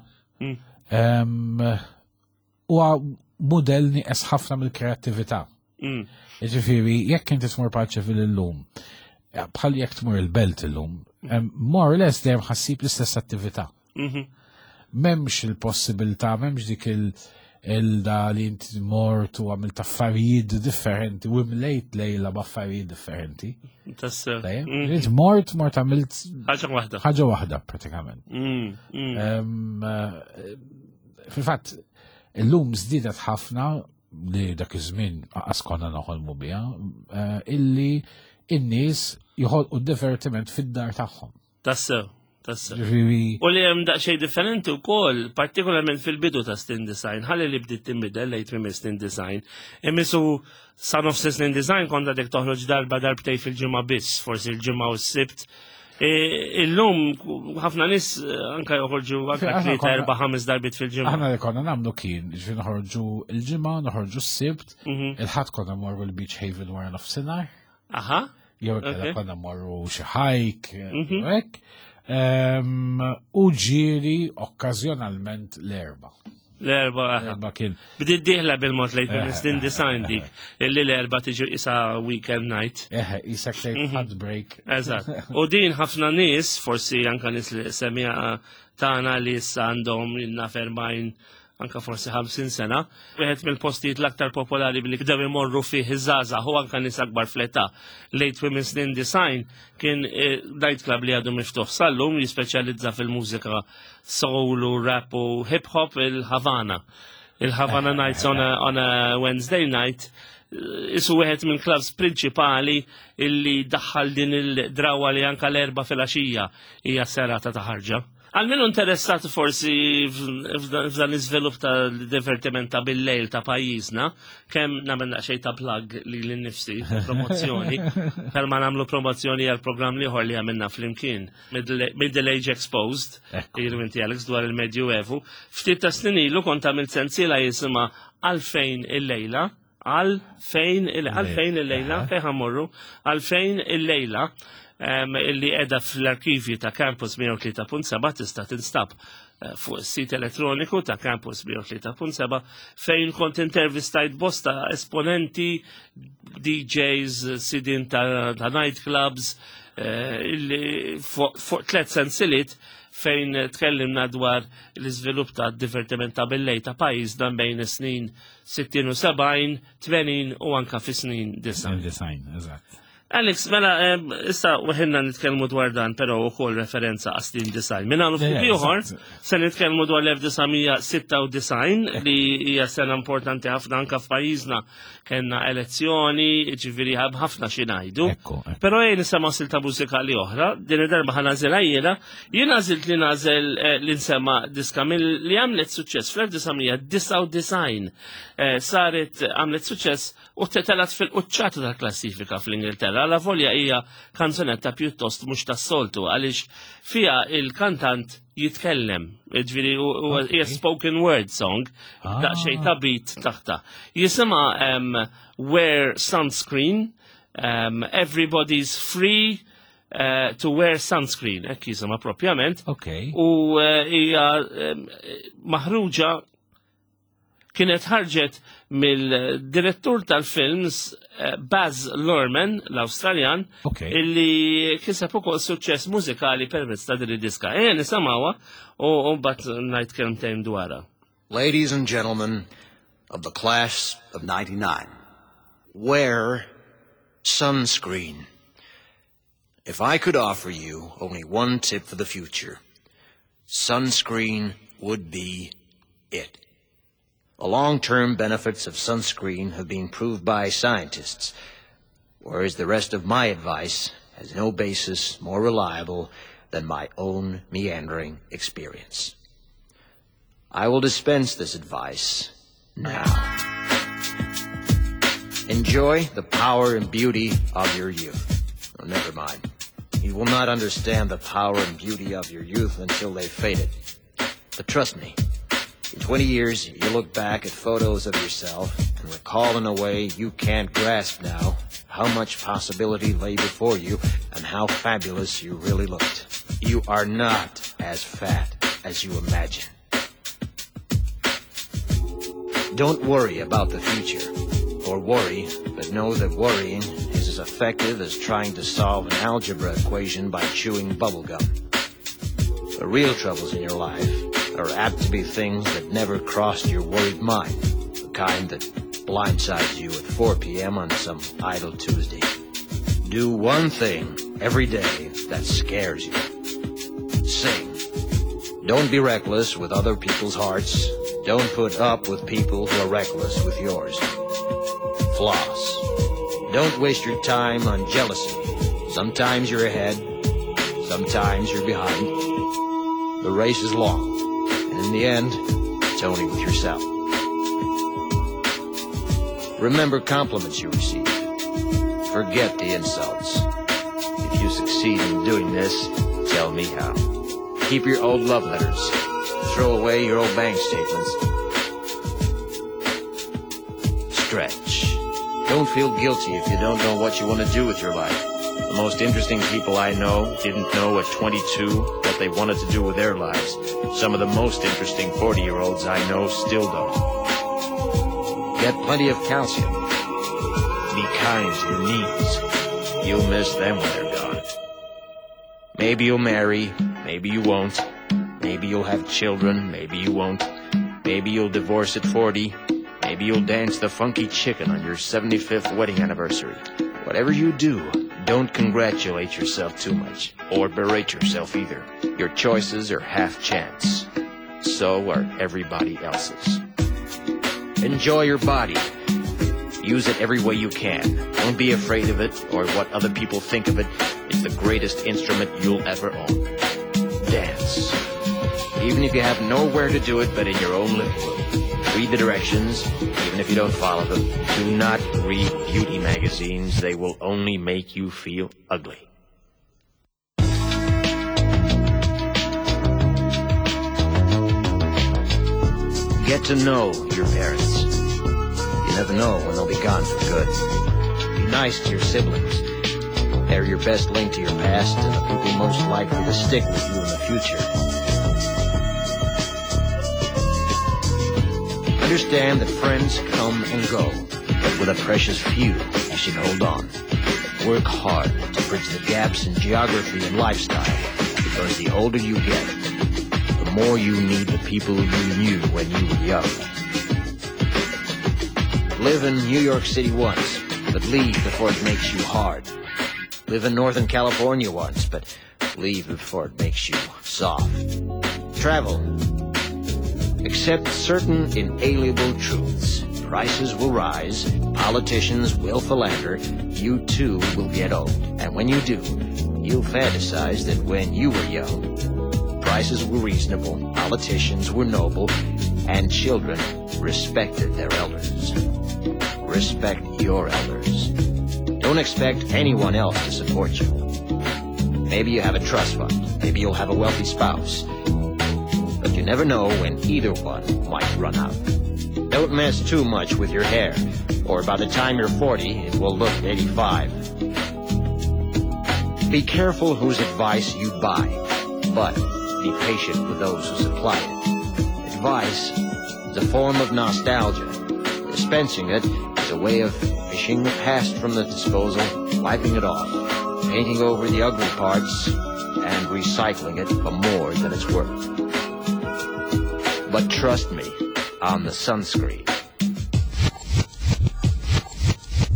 huwa modell nieqes ħafna mill-kreattività. Jiġifieri, jekk inti tmur Paceville illum, bħal jekk tmur il-Belt illum, more or less dejjem ħassib l-istess attività. M'hemmx il-possibilità, m'hemmx dik il-da li inti mort u għamilt affarijiet differenti u imlejt lejla b'affarijiet differenti. Tassew. Tajjeb? Int mort għamilt ħaġa waħda. Ħaġa waħda pratikament. Fil-fatt, illum żdiedet ħafna li dak iż-żmien qas konna noħolmu biha, illi in-nies joħolqu divertiment fid-dar tagħhom. Tassew, tassew. Ġifieri U li hemm daqsxejn differenti wkoll, partikolarment fil-bidu ta' Snin Design, ħalli li bdiet tinbidel lejn tmiem Snin Design. Imisu sa nofs Snin Design kont għadek toħroġ darba darbtej fil-ġimgħa biss, forsi l-ġimgħa u s-Sibt. Illum ħafna nies anka joħorġu anka tlieta, erba', 5 darbit fil-ġimgħa. Aħna li konna nagħmlu kien, ġifieri noħorġu l-ġimgħa, noħorġu s-Sibt, il-Ħadd konna morru l-Beach Haven wara nofsinhar. Jew inkella konna morru xi hike, hekk. U ġieli okkażjonalment l-Erbgħa. L-Erbgħa, aha. L-Erbgħa kien. Bdiet dieħla bil-mod lejn Snin Design dik, illi l-Erbgħa tiġi isa weekend night. Eħe, isa tgħid hot break. Eżatt. U din ħafna nies, forsi anka nies li semija tagħna li issa għandhom ilna 40, anka forsi 50 sena, wieħed mill-postijiet l-aktar popolari billi bdew imorru fih iż-żgħażagħ u anka nies akbar fl-età. Late Women's Snin Design kien nightclub li għadu miftuħ sal-lum, jispeċjalizza fil-mużika soul u rap u hip hop, il-Havana. Il-Havana Nights on a Wednesday night, isu wieħed minn clubs prinċipali illi daħħal din il-drawa li anka l-Erbgħa filgħaxija hija serata ta' ħarġa. Għal min interessat forsi f'dan l-iżvilupp ta' divertiment ta' bil-lejl ta' pajjiżna, kemm nagħmel daqsxejn ta' plug li l-nifsi, promozzjoni, per ma nagħmlu promozzjoni għal programm ieħor li għamilna flimkien, Middle Age Exposed, jiru inti Alex dwar il-Medjuevu. Ftit ta' snin ilu kont għamilt sensiela jisimha Għalfejn il-lejla, għalfejn għalfejn il-lejla, fejn ħa mmorru, għalfejn il-lejla, illi edha fl-arkivju ta' Campus 103.7 tista' tinstab fuq is-sit elettroniku ta' Campus 103.7, fejn kont intervistajt bosta esponenti, DJs, sidin ta' nightclubs, illi fuq 3 sensiliet fejn tkellimna dwar l-iżvilupp ta' divertiment ta' bil-lejl ta' pajjiżna bejn is-snin 60 u 70, 80 u anka fi snin 90. Design, eżatt. Alex, mela, issa weħilna nitkellmu dwar dan, pero u kol referenza għas-snin design. Minna għanu ftit ieħor, se nitkellmu dwar l-1996 li hija sena importanti ħafna anka f'pajjiżna kellna elezzjoni, ġifieri ħafna xi ngħidu. Però jien nisema' silta mużikali oħra, din id-darba ħa nagħżilha jiena, jien għażilt li nagħżel eh, li nsema' diska mill li għamlet suċċess fl-1999 eh, saret għamlet suċċess u tetelat fil-quċċata tal-klassifika fl-Ingilterra. La volja hija kanzunetta pjuttost mhux tas-soltu għaliex fiha il-kantant jitkellem, ġifieri hija spoken word song, ah. daqsxejn ta' beat taħta. Jisimha um, Wear Sunscreen, um, Everybody's Free, uh, to wear sunscreen, hekk jisimha propjament. Okay. U eh, hija um, maħruġa kienet ħarġet mill-direttur tal-films eh, Baz Luhrmann, l-Awstraljan, okay. illi kiseb ukoll suċċess mużikali permezz ta' din id-diska. Ejja nisimgħuha u mbagħad ngħid kelmtejn dwarha. Ladies and gentlemen of the class of 99, wear sunscreen. If I could offer you only one tip for the future, sunscreen would be it. The long-term benefits of sunscreen have been proved by scientists, whereas the rest of my advice has no basis more reliable than my own meandering experience. I will dispense this advice now. Enjoy the power and beauty of your youth. Oh, never mind. You will not understand the power and beauty of your youth until they've faded. But trust me, in 20 years, you'll look back at photos of yourself and recall in a way you can't grasp now how much possibility lay before you and how fabulous you really looked. You are not as fat as you imagine. Don't worry about the future. Or worry, but know that worrying is as effective as trying to solve an algebra equation by chewing bubblegum. The real troubles in your life are apt to be things that never crossed your worried mind, the kind that blindsides you at 4 p.m. on some idle Tuesday. Do one thing every day that scares you. Sing. Don't be reckless with other people's hearts. Don't put up with people who are reckless with yours. Floss. Don't waste your time on jealousy. Sometimes you're ahead, sometimes you're behind. The race is long, and in the end, it's only with yourself. Remember compliments you receive. Forget the insults. If you succeed in doing this, tell me how. Keep your old love letters. Throw away your old bank statements. Stretch. Don't feel guilty if you don't know what you want to do with your life. The most interesting people I know didn't know at 22 what they wanted to do with their lives. Some of the most interesting 40-year-olds I know still don't. Get plenty of calcium. Be kind to your knees. You'll miss them when they're gone. Maybe you'll marry, maybe you won't. Maybe you'll have children, maybe you won't. Maybe you'll divorce at 40. Maybe you'll dance the funky chicken on your 75th wedding anniversary. Whatever you do, don't congratulate yourself too much, or berate yourself either. Your choices are half chance. So are everybody else's. Enjoy your body. Use it every way you can. Don't be afraid of it or what other people think of it. It's the greatest instrument you'll ever own. Dance. Even if you have nowhere to do it but in your own living room. Read the directions, even if you don't follow them. Do not read beauty magazines. They will only make you feel ugly. Get to know your parents. You never know when they'll be gone for good. Be nice to your siblings. They're your best link to your past and the people most likely to stick with you in the future. Understand that friends come and go, but with a precious few, you should hold on. Work hard to bridge the gaps in geography and lifestyle, because the older you get, the more you need the people you knew when you were young. Live in New York City once, but leave before it makes you hard. Live in Northern California once, but leave before it makes you soft. Travel. Accept certain inalienable truths. Prices will rise, politicians will philander, you too will get old. And when you do, you'll fantasize that when you were young, prices were reasonable, politicians were noble, and children respected their elders. Respect your elders. Don't expect anyone else to support you. Maybe you have a trust fund. Maybe you'll have a wealthy spouse. But you never know when either one might run out. Don't mess too much with your hair, or by the time you're 40, it will look 85. Be careful whose advice you buy, but be patient with those who supply it. Advice is a form of nostalgia. Dispensing it is a way of fishing the past from the disposal, wiping it off, painting over the ugly parts, and recycling it for more than it's worth. But trust me on the sunscreen.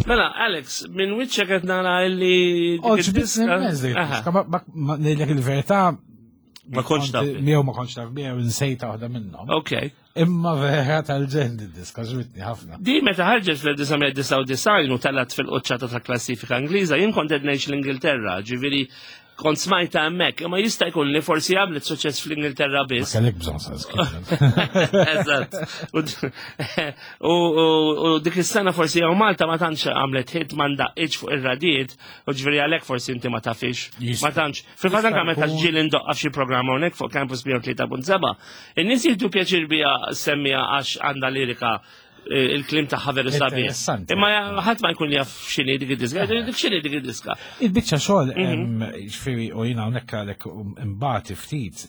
Mela, Alex, minn wiċċek qed nara illi. dik Oġbitni id-diska- immens dik Aha. id-diska, ma ngħidlek il-verità. Ma kontx taf. Miegħu ma kontx taf miegħu nsejta waħda minnhom. Ok. Imma vera tal-ġen id-diska ġbitni ħafna. Di meta ħarġet fl-1999 u talat fil-qoċċata ta' klassifika Ingliża, jien kont qed ngħix l-Ingilterra, ġifieri kont smajta hemmhekk, imma jista' jkun li forsi għamlet suċċess fl-Ingilterra Ma biss. kellek bżonn sunscreen. Eżatt. U u dik is-sena forsi jew Malta ma tantx għamlet hit ma ndaqqiġ fuq ir-radijiet, u ġifieri għalhekk forsi inti ma tafix. Jista' Ma tantx. Fil-fatt anke meta jkun. ġieli ndoqqa f'xi programm hawnhekk fuq Campus 103.7, in-nies jieħdu pjaċir biha semmija għax għandha lirika il-klim tagħha veru sabiħ. Interessanti. Imma ħadd ma jkun jaf x'inhi dik id-diska, dik x'inhi dik id-diska. Il-biċċa xogħol ġifieri u jiena hawnhekk għalhekk imbagħad ftit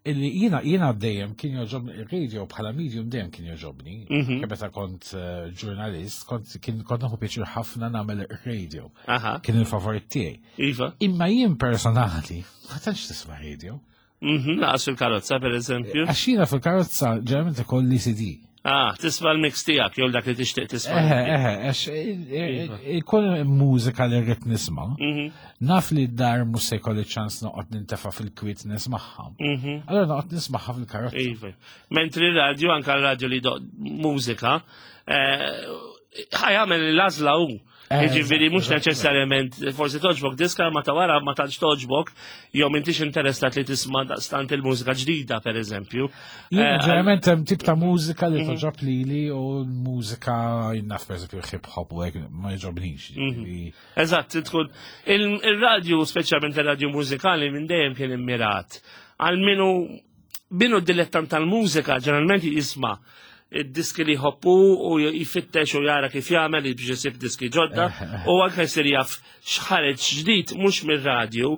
illi jiena jiena dejjem kien joġobni il-radio bħala medium dejjem kien joġobni. Kemm Meta kont ġurnalist, kont kien kont nieħu pjaċir ħafna nagħmel ir-radio. Aha, Kien il-favorit tiegħi. iva. Imma jien personali ma tantx tisma' radio. Laqas fil-karozza per eżempju. Għax jiena fil-karozza ġeneralment ikolli CD. Ah, tisma' l-mix tiegħek jew dak li tixtieq tisma'. Eħe, eħe, għax ikun mużika li rrid nisma', naf li d-dar mhux se jkolli ċans noqgħod nintefa' fil-kwiet nismagħha. Allora noqgħod nismagħha fil-karozza. Iva. Mentri radio, anka r-radio li doq mużika, ħajamel l-għażla hu. Jiġifieri mhux neċessarjament forsi toġbok diska ma ta' wara ma tantx toġbok, jew m'intix interessat li tisma' daqstant il-mużika ġdida pereżempju. Jien ġeneralment hemm tip ta' mużika li toġob lili u l-mużika jien naf pereżempju hip hop u hekk ma jogħġobnix. Jiġifieri, Eżatt, tkun il-radju, speċjalment il-radju mużikali minn dejjem kien immirat. Għal minu minu dilettant tal-mużika ġeneralment jisma' id-diski li jħobbu u jfittex u jara kif jagħmel biex isib diski ġodda u anke jsir jaf x'ħareġ ġdid mhux mir-radju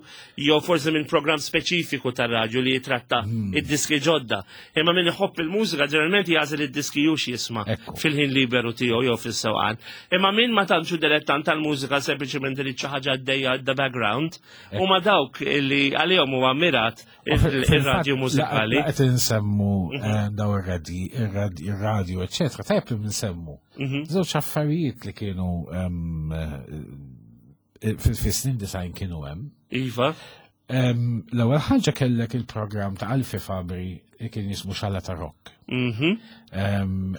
jew forsi minn programm speċifiku tar-radju li jitratta id-diski ġodda. Imma min iħobb il-mużika ġeneralment jagħżel id-diski hux jisma' fil-ħin liberu tiegħu jew fis-sewqan. Imma min ma tantx hu dilettant tal-mużika sempliċement irid xi ħaġa għaddejja the background huma dawk li għalihom huwa mirat ir-radju mużikali. Qed insemmu daw ir-radju, eċetera, tajjeb li nsemmu. Żewġ affarijiet li kienu fis-snin design kienu hemm. Iva. L-ewwel ħaġa kellek il-programm ta' Alfi Fabri li kien jismu Xala ta' Rock.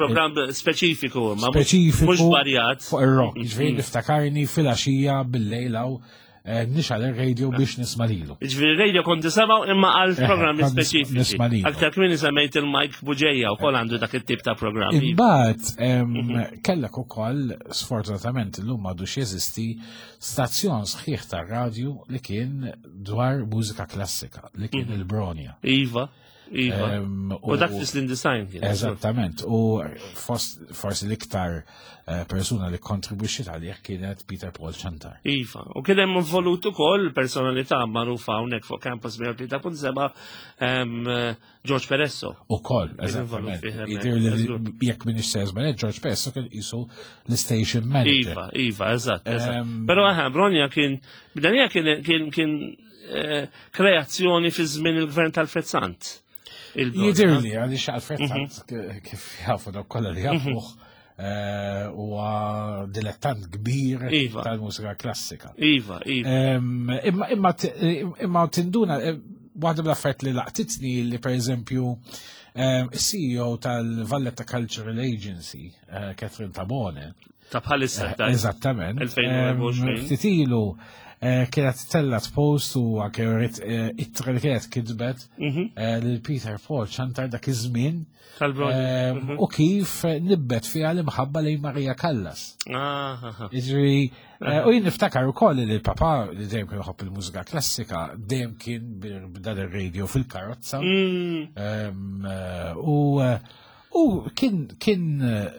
Programm speċifiku, ma Speċifiku mhux varjat. Fuq ir-rock, jiġifieri niftakarni fil-għaxija bil-lejl hawn nixgħal ir-radio biex nisma' lilu. Ġifieri radio kont tisimgħu imma għal programmi kont speċifiċi. nisma' lilu. Aktar kmieni semmejt il-Mike Buġeja wkoll għandu dak it-tip ta' programmi. Imbagħad kellek ukoll sfortunatament illum m'għadux jeżisti stazzjon sħiħ tar-radju li kien dwar mużika klassika li kien il-Bronja. Iva, iva. U dak fis-snin design kien. Eżattament, u forsi l-iktar persuna li kontribwixxiet għalih kienet Peter Paul Ciantar. Iva, u kien hemm involut ukoll personalità magħrufa hawnhekk fuq Campus 103.7 George Peresso. Ukoll, Kien involut eżattament. fih hemmhekk, Jidir li eżatt. jekk minix se żbaljat, George Peresso kien qisu l-station manager. Iva, iva, eżatt, eżatt. Però aha, Bronja kien, Bdanija kien kien kreazzjoni fi żmien il-gvern tal-Alfred Sant. Il-Bronja. Jidirli, għaliex Alfred Sant kif jafu dawk kollha li jafuh, eh, huwa dilettant kbir Iva. tal-mużika klassika. Iva, iva. Em, Imma imma imma tinduna eh, waħda mill-affarijiet li laqtitni li pereżempju em, CEO tal-Valletta Cultural Agency, eh, Catherine Tabone, Ta' bħalissa. ta' Eżattament. 2024. Em, Ftit ilu eh, kienet tellat post u anke rrit ittra li kienet kitbet eh, lil Peter Paul ċantar dak iż-żmien Tal-Bronja. em, u kif nibbet fiha l-imħabba lejn Maria Callas. Ah, ah, ah. Jiġri, eh, u jien niftakar ukoll li l-papa li dejjem kien iħobb il-mużika klassika, dejjem kien b'dan ir-radio fil-karozza. Em, eh, U eh, u kien kien eh,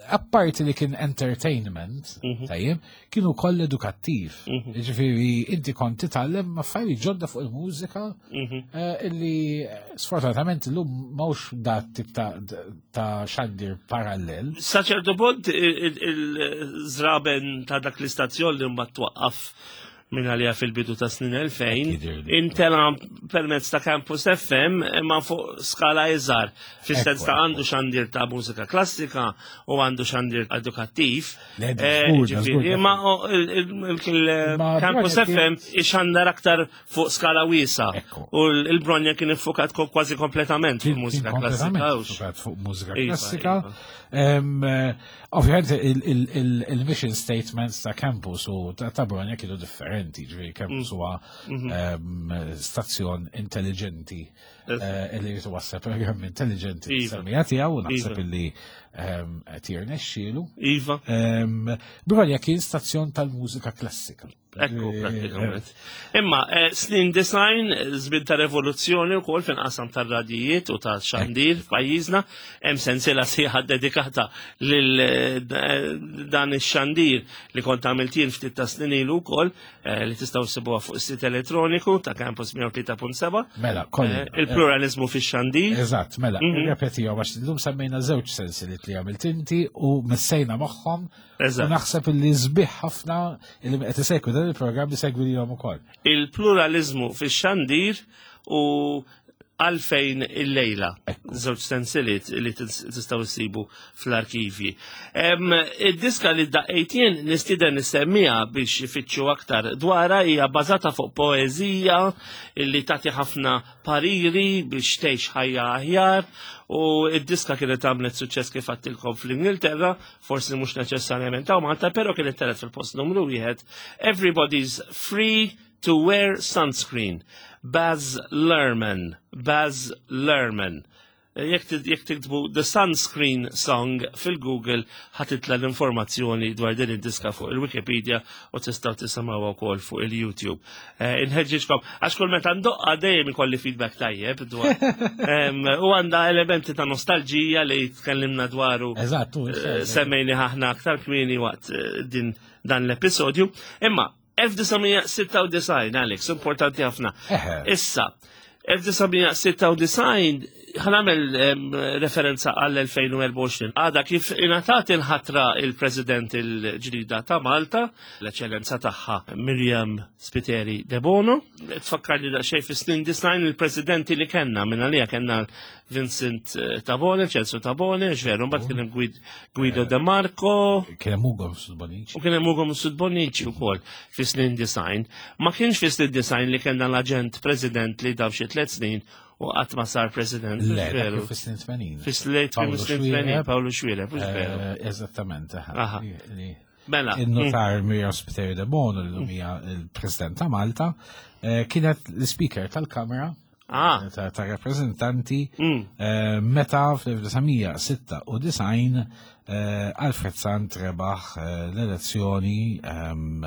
apparti li kien entertainment, tajjeb, kienu koll edukattiv. Ġifieri inti kont titgħallem affarijiet ġodda fuq il-mużika eh, illi eh, sfortunatament illum m'hawnx dat tip ta' ta' xandir parallel. Sa ċertu punt il-żraben ta' dak l-istazzjon li mbagħad twaqqaf minn għalija fil-bidu ta' snin 2000 Jidhirli. intela permezz ta' Campus FM imma fuq skala iżgħar fis-sens Ekku, ta' ekku. għandu xandir ta' mużika klassika u għandu xandir edukattiv. Le, da Eh, żgur, da ġifieri, żgur, Ma o, il- il- il- Ma il-Campus Bronja FM ixandar aktar fuq skala wiesa. Ekku. U l-Bronja kien iffukat kważi kompletament fuq Kien- mużika kien klassika. kompletament hux? fukat fuq mużika Iva, klassika. iva. Em, eh, Ovvjament il-mission statements ta' campus u ta' ta' Bologna kienu differenti, ġifieri campus huwa em, stazzjon intelligenti eh, illi jitwassal programm intelligenti Iva. semmija tiegħu u naħseb Iva. illi em, qed jirnexxielu. Iva. Em, Bologna kien stazzjon tal-mużika klassika. Ekku, Eh, pratikament. Imma, eh, snin design, żmien ta' revoluzzjoni u kol fin qasam ta' radijiet u ta' xandir f'pajjiżna, hemm sensiela sħiħa dedikata lil eh, dan ix-xandir li kont għamilt jien ftit ta' snin ilu wkoll eh, li tistgħu ssibuha fuq is-sit elettroniku ta' Campus 103.7. Mela, kolli. Eh, Il-pluralizmu fix-xandir. Eżatt, mela, mm għax illum semmejna żewġ sensiliet li għamilt inti u messejna magħhom. Eżatt. U naħseb illi sbieħ ħafna illi qed isegwu dan il-programm isegwi lilhom ukoll. Il-pluralizmu fix-xandir u għalfejn il-lejla. Ekku. Żewġ sensiliet li tistgħu ssibu fl-arkivji. Em, Id-diska li daqqejt jien nistieden nissemmiha biex ifittxu aktar dwarha hija bbażata fuq poeżija li tagħti ħafna pariri biex tgħix ħajja aħjar u id-diska kienet għamlet suċċess kif għattilkom fl-Ingilterra, forsi mhux neċessarjament hawn Malta, però kienet telet fil-post numru wieħed. Everybody's free to wear sunscreen. Baz Luhrmann. Baz Luhrmann. Jekk jekk tiktbu The Sunscreen Song fil-Google ħatitla l-informazzjoni dwar din id-diska fuq il-Wikipedia u tistgħu tisimgħuha wkoll fuq il-YouTube. Eh, Inħeġġiġkom għax kull meta ndoqqa dejjem ikolli feedback tajjeb dwar. Em, U għandha elementi ta' nostalġija li tkellimna dwaru Eżatt, u Eh, semmejni ħahna aktar kmieni waqt eh, din dan l-episodju. Imma 1996, Alex, importanti ħafna. Eħe. Issa, 1996 ħanamel em, referenza għall-2024. Għada kif ingħatat il-ħatra il-President il-ġdida ta' Malta, l-eċellenza tagħha Miriam Spiteri De Bono. Tfakkar li daqsxejn fis-snin disnajn il-presidenti li kellna minn għalija kellna Vincent eh, Tabone, Ċensu Tabone, ġveru, mbagħad kien hemm Guido De Marco, Kien hemm Ugo Sudbonici. U kien hemm Ugo Mifsud Bonnici wkoll fis-snin design. Ma kienx fis-snin design li kellna l-aġent president li dam xi tliet snin u qatt ma sar president. Le, mhux dak veru. kien fis-snin 80. Fis-late Paolo snin 80 Xuereb. Paolo Xuereb, mhux veru. Eh, Eżattament, eħe. Aha. Li- Mela. Il-notar Miriam Spiteri de Bono, l hija il-President ta' Malta, eh, kienet l-Speaker tal-Kamra Ah, ta' ta' rappresentanti Mm. eh, meta fl-1996 eh, Alfred Sant rebaħ eh, l-elezzjoni ehm,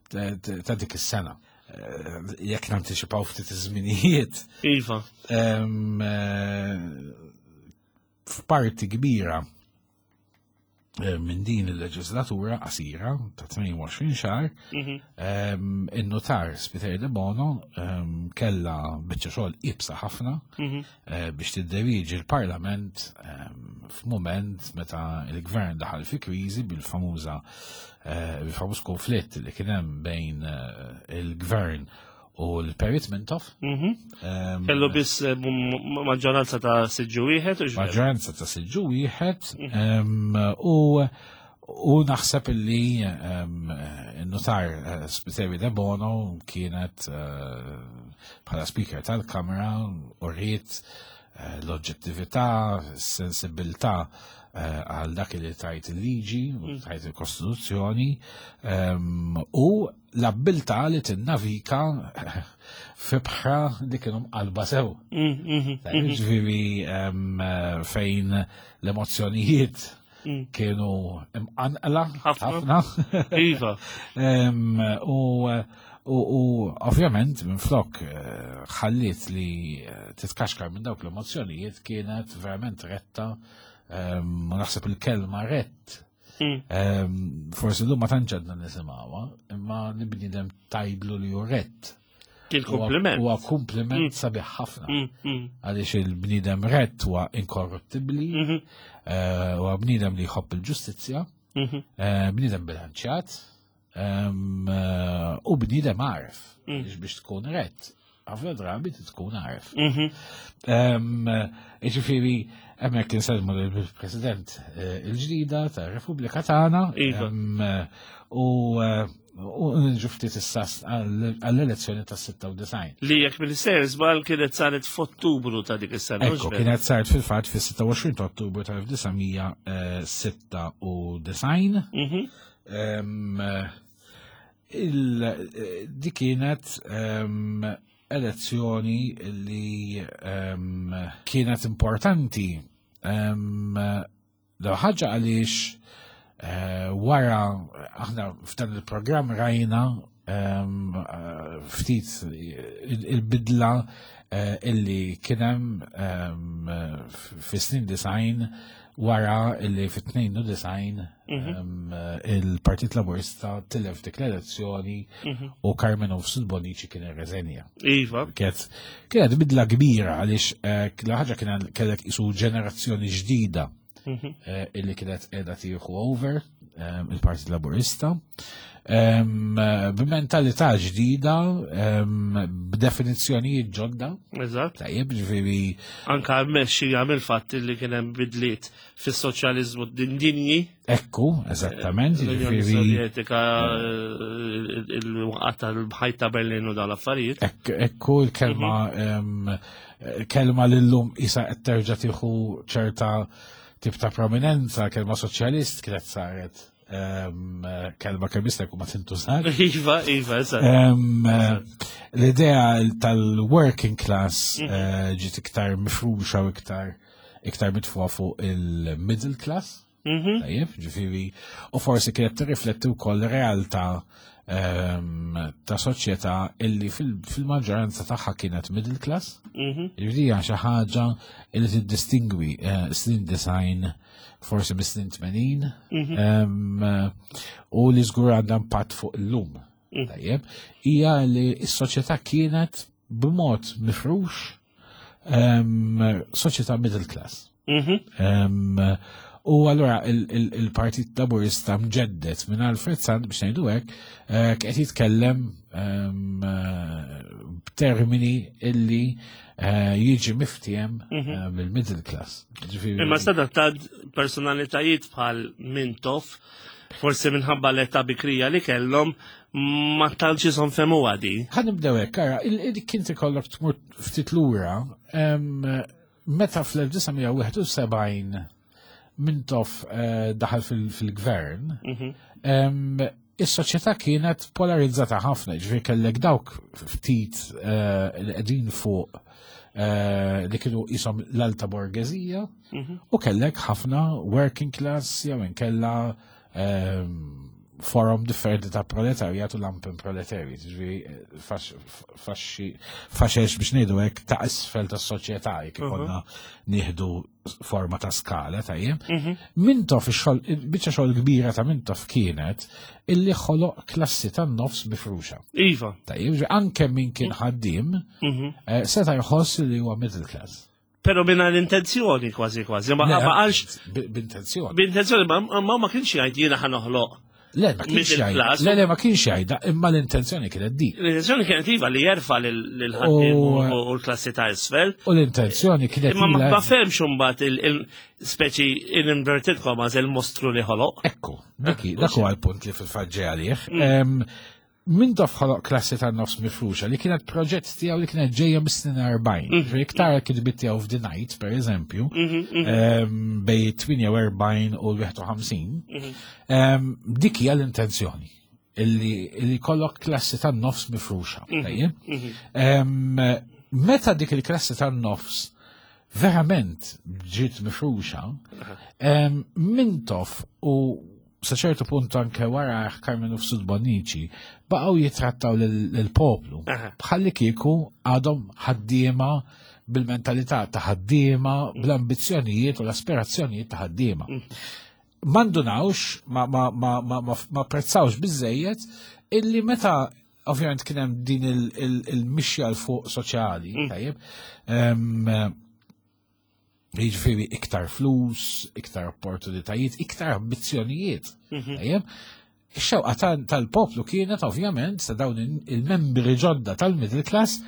ta- ta ta' dik is-sena. Eh, Jekk nanticipaw ftit iż-żminijiet, Iva. ehm, eh, f'parti kbira eh, minn din il-leġislatura qasira ta' 22 xahar, ehm, in-notar Spiteri de Bono ehm, kella biċċa xogħol ibsa ħafna eh, biex tidderieġi l-Parlament ehm, f'mument meta il-gvern daħal fi kriżi bil-famuża eh, bil-famuż konflitt li kien hemm bejn eh, il-gvern u l-Perit Mintoff. Mhm. Kellu biss eh, maġġoranza ta' siġġu wieħed. Maġġoranza ta' siġġu wieħed mhm. u U naħseb illi n-notar eh, Spiteri De Bono kienet eh, bħala speaker tal-Kamra u rrit l-oġġettività, s-sensibilità għal dak li tajt il-liġi, mm. tajt il-Kostituzzjoni, u l-abbiltà li tinnavika fibħra li kienu mqalba sew. Mm, mm, mm, Ġifieri fejn l-emozzjonijiet kienu imqanqla ħafna. Iva. U U ovvjament minn flok eh, ħalliet li eh, titkaxkar minn dawk l-emozzjonijiet kienet verament retta, naħseb il-kelma rett Mm. Forsi l-lum ma tantx għadna nisimgħuha, imma li bniedem tajdlu li hu rett. Kien kompliment. Huwa kompliment mm. sabiħ ħafna. Mm, Għaliex il-bniedem rett huwa inkorruttibbli, mm-hmm. eh, huwa bniedem li jħobb il-ġustizzja, mm-hmm. eh, bniedem bilanċjat, eh, u bniedem għaref biex tkun rett ħafna drabi tkun għaref. Mhm. Ġifieri, hemmhekk insellmu lill-President eh, il-ġdida tar-Repubblika tagħna. Iva. U eh, u nġu ftit issa għall-elezzjoni ta' 96. Li jekk mill-sejr żball kienet saret f'Ottubru ta' dik is-sena. Ekku, kienet saret fil-fatt fis-26 ta' Ottubru tal-1996. Mhm. Di kienet ehm, elezzjoni li ehm, kienet importanti ehm, l ħaġa għaliex eh, wara aħna f'dan il-programm rajna eh, ftit il-bidla eh, illi kienem fi snin design wara illi fit-92 mhm. il-Partit Laburista tilef dik l-elezzjoni mhm. u Carmen Ufsud Bonici kien irreżenja. Iva. Kienet bidla kbira għaliex eh, l ħaġa kien kellek isu ġenerazzjoni ġdida mhm. eh, illi kienet qiegħda tieħu over il-Partit Laburista. B'mentalità ġdida, b'definizzjonijiet ġodda. Eżatt. Tajjeb, ġifieri. Anka mmexxija mill-fatt li kien hemm bidliet fis-soċjaliżmu dinji. Ekku, eżattament. L-Unjoni Sovjetika, eh, il-waqgħa tal-ħajt ta' Berlin u dal-affarijiet. Ekku, l-kelma mhm. kelma l-lum isa qed terġa' tieħu ċerta tip ta' prominenza, kelma soċjalist kienet saret kelma kemm jista' jkun ma tintużax. Iva, iva, eżatt. L-idea tal-working class mhm. eh, ġiet iktar mifruxa u iktar iktar mitfuha fuq il-middle class. Mhm. Tajjeb, ġifieri, u forsi kienet tirrifletti wkoll realtà ta' soċjetà illi fil-maġġoranza tagħha kienet middle class. Mhm. Ġifieri hija xi ħaġa illi tiddistingwi eh, snin design forsi mis-snin 80 mhm. u li żgur għandha impatt fuq illum. Mhm. Tajjeb, hija li s-soċjetà kienet b'mod mifrux soċjetà middle class. Mhm. U allura il-Partit Laburista mġeddet minn Alfred Sant biex ngħidu hekk, eh, qed jitkellem eh, b'termini illi eh, jiġi miftiem mhm. mill-middle class. Imma sadattat personalitajiet bħal Mintoff, forsi minħabba l-età bikrija li kellhom ma tantx isom femu għadi. Ħa nibdew hekk, ara, kien ikollok tmur ftit lura, meta fl-1971 Mintoff eh, daħal fil-gvern, mhm. is-soċjetà kienet polarizzata ħafna, ġifieri kellek dawk ftit eh, li qegħdin fuq eh, li kienu jisom l-alta borgezija mhm. u kellek ħafna working class jew inkella forum differenti ta' proletarjat u lampen proletarjat, ġifieri faxex biex ngħidu hekk ta' isfel tas-soċjetà jekk mhm. ikollna nieħdu forma ta' skala tajjeb. Mhm. Mintoff ix-xogħol biċċa xogħol kbira ta' Mintoff kienet illi ħoloq klassi tan-nofs mifruxa. Iva. Tajjeb, anke min kien ħaddiem mhm. eh, seta' jħoss li huwa middle class. Pero minna l-intenzjoni kważi kważi, ma għalx. B'intenzjoni. B'intenzjoni, ma ma kienx jgħid jiena ħa noħloq. Le, ma kienx jgħidha. Le, le, ma kienx jgħidha, imma l-intenzjoni kienet dik. L-intenzjoni kienet iva li jerfa' lil ħaddiem u l-klassi ta' isfel. U l-intenzjoni kienet. Imma ma fehmx imbagħad il-speċi in inverted commas il-mostru li ħoloq. Ekku, dik dak huwa l-punt li fil-fatt ġej għalih. Mintoff ħoloq klassi tan-nofs mifruxa li kienet proġett tiegħu li kienet ġejja mis-snin 40. Iktar kitbiet tiegħu f'The Night, per eżempju, bejn 48 u l-51, dik hija l-intenzjoni illi kollok klassi tan-nofs mifruxa. Meta dik il-klassi tan-nofs verament ġiet mifruxa, Mintoff u sa ċertu punt anke wara Karmenu Mifsud Bonnici baqgħu jitrattaw lill-poplu bħalli kieku għadhom ħaddiema bil-mentalità ta' ħaddiema, bl-ambizzjonijiet u l-aspirazzjonijiet ta' ħaddiema. Mandunawx, ma prezzawx biżejjed illi meta ovvjament kien hemm din il-mixja 'l fuq soċjali, tajjeb, jiġifieri iktar flus, iktar opportunitajiet, iktar ambizzjonijiet. Tajjeb, ix-xewqa tal-poplu kienet ovvjament sa dawn il-membri ġodda tal-middle class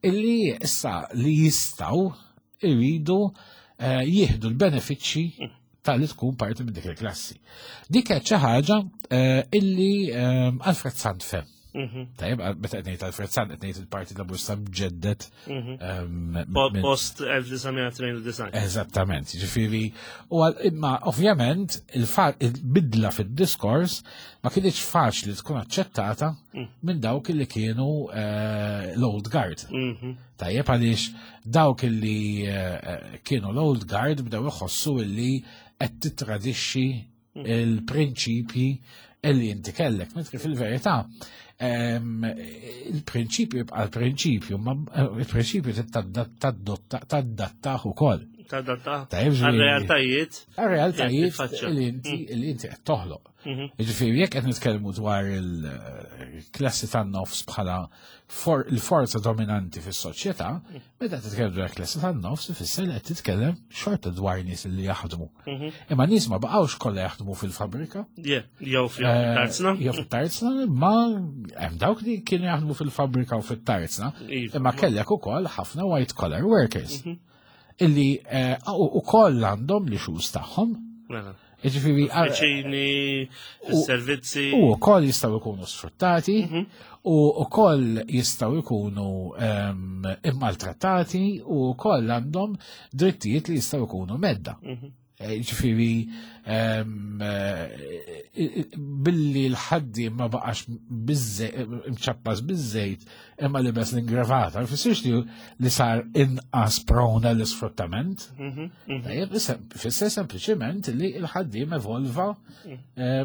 illi issa li jistgħu iridu jieħdu l-benefiċċji tal-li tkun parti minn dik il-klassi. Dik qed xi ħaġa illi Alfred Sant fehem. Tajjeb, meta qed ngħid Alfred Sant qed ngħid il-Partit Laburista mġeddet. Post 1992. Eżattament, ġifieri, u imma ovvjament il-bidla fid-diskors ma kienx faċli tkun aċċettata minn dawk li kienu l-old guard. Tajjeb, għaliex dawk li kienu l-old guard bdew iħossu illi qed titradixxi il-prinċipji illi inti kellek. Mentri fil-verità il-prinċipju jibqa' l-prinċipju, ma il-prinċipju tadattah ukoll. Tadattah Tajjeb, ġifieri- għal-realtajiet. Għal-realtajiet Tiffaċċja. li inti qed toħloq. Ġifieri jekk qed nitkellmu dwar il-klassi tan-nofs bħala il-forza dominanti fis-soċjetà, meta titkellem dwar klassi tan-nofs ifisser li qed titkellem xorta dwar nies li jaħdmu. Imma nies ma baqgħux kollha jaħdmu fil-fabrika. Yeah, jew fil-tarzna. Jew fit-tarzna, ma hemm dawk li kienu jaħdmu fil-fabrika u fit-tarzna, imma kellek ukoll ħafna white collar workers illi ukoll għandhom l-issues tagħhom. Ġifieri, Uffiċini, servizzi. U wkoll jistgħu jkunu sfruttati, u wkoll jistgħu jkunu immaltrattati, u wkoll għandhom drittijiet li jistgħu jkunu mhedda. Ġifieri, billi l-ħaddiem ma baqax mċappas biż-żejt imma libes l-ingravata, jfissirx li sar inqas prone l-isfruttament. Tajjeb, fisser sempliċiment li l-ħaddiem evolva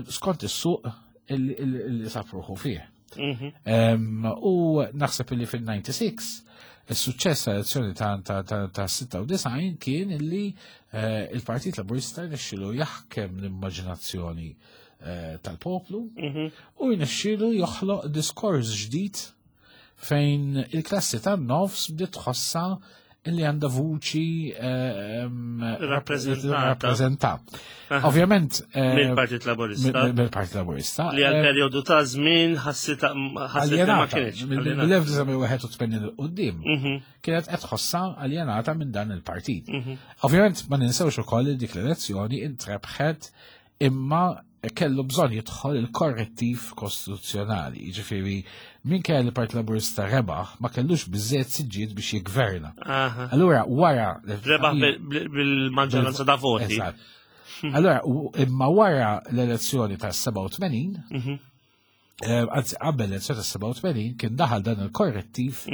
skont is-suq li sab ruħu fih. U naħseb li fil-96 il-suċċess tal-elezzjoni ta' 96 kien illi il-Partit Laburista rnexxielu jaħkem l-immaġinazzjoni tal-poplu u jnexxielu joħloq diskors ġdid fejn il-klassi tan-nofs bdiet tħossha illi għandha vuċi Rappreżentata. rappreżentat. Ovvjament Mill-Partit Laburista. Mill-Partit Laburista. Li għal periodu ta' żmien ħassita ħassit li ma Aljenata. kienx. Aljenata. Mill-1981 'il quddiem kienet qed tħossha aljenata minn dan il-partit. Ovvjament ma ninsewx ukoll li dik l-elezzjoni intrebħet imma kellu bżonn jidħol il-korrettiv kostituzzjonali. Jiġifieri minkejja li l-Partit Laburista rebaħ ma kellux biżżejjed siġġiet biex jiggverna. Allura wara Rebaħ bil-maġġoranza ta' voti. Eżatt. Allura imma wara l-elezzjoni ta' 87, anzi qabel l-elezzjoni ta' 87 kien daħal dan il-korrettiv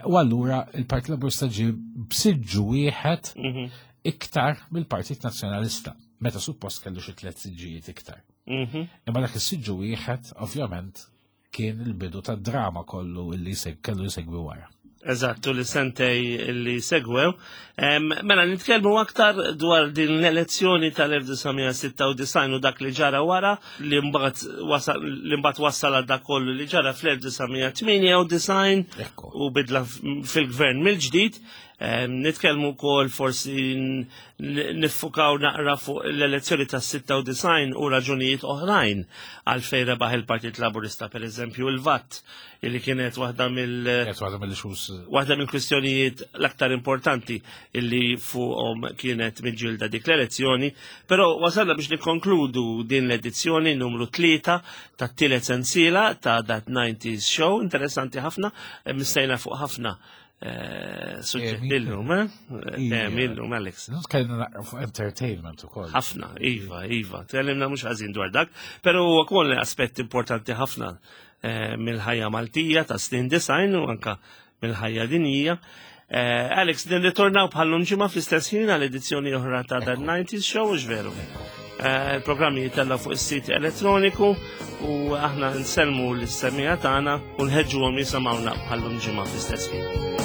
u allura il-Partit Laburista ġie b'siġġu wieħed iktar mill-Partit Nazzjonalista, meta suppost kellu xi tliet siġġijiet iktar. Imma dak is-siġġu wieħed ovvjament kien il-bidu tad-drama kollu illi kellu jsegwi wara. Eżattu, li sentej li segwew. Mela, nitkellmu aktar dwar din l-elezzjoni tal-1996 u dak li ġara wara, li mbagħad wassal għal dak kollu li ġara fl-1998 u bidla fil-gvern mill-ġdid. Nitkellmu wkoll forsi niffukaw naqra fuq l-elezzjoni tas-96 u raġunijiet oħrajn għalfejn rebaħ il-Partit Laburista, per eżempju il-VAT, illi kienet waħda mill- Kienet waħda mill-issues. Waħda mill-kwistjonijiet l-aktar importanti illi fuqhom kienet miġġielda dik l-elezzjoni, però wasalna biex nikkonkludu din l-edizzjoni numru 3 tat-tielet sensiela ta' That 90s Show, interessanti ħafna, missejna fuq ħafna eh, suġġetti illum, eh? Temi illum, Alex. Tkellimna naqra fuq entertainment ukoll. Ħafna, iva, iva, tkellimna mhux ħażin dwar dak, però huwa wkoll aspett importanti ħafna eh, mill-ħajja Maltija ta' snin design u anka mill-ħajja dinjija. Eh, Alex, nirritornaw bħallum ġimgħa fl-istess ħin għal edizzjoni oħra ta' Dan 90s Show, mhux veru. Eh, il-programmi jitella fuq is-sit elettroniku u aħna nsellmu l-semija tagħna u nħeġġuhom jisimgħuna bħallum ġimgħa fl-istess ħin.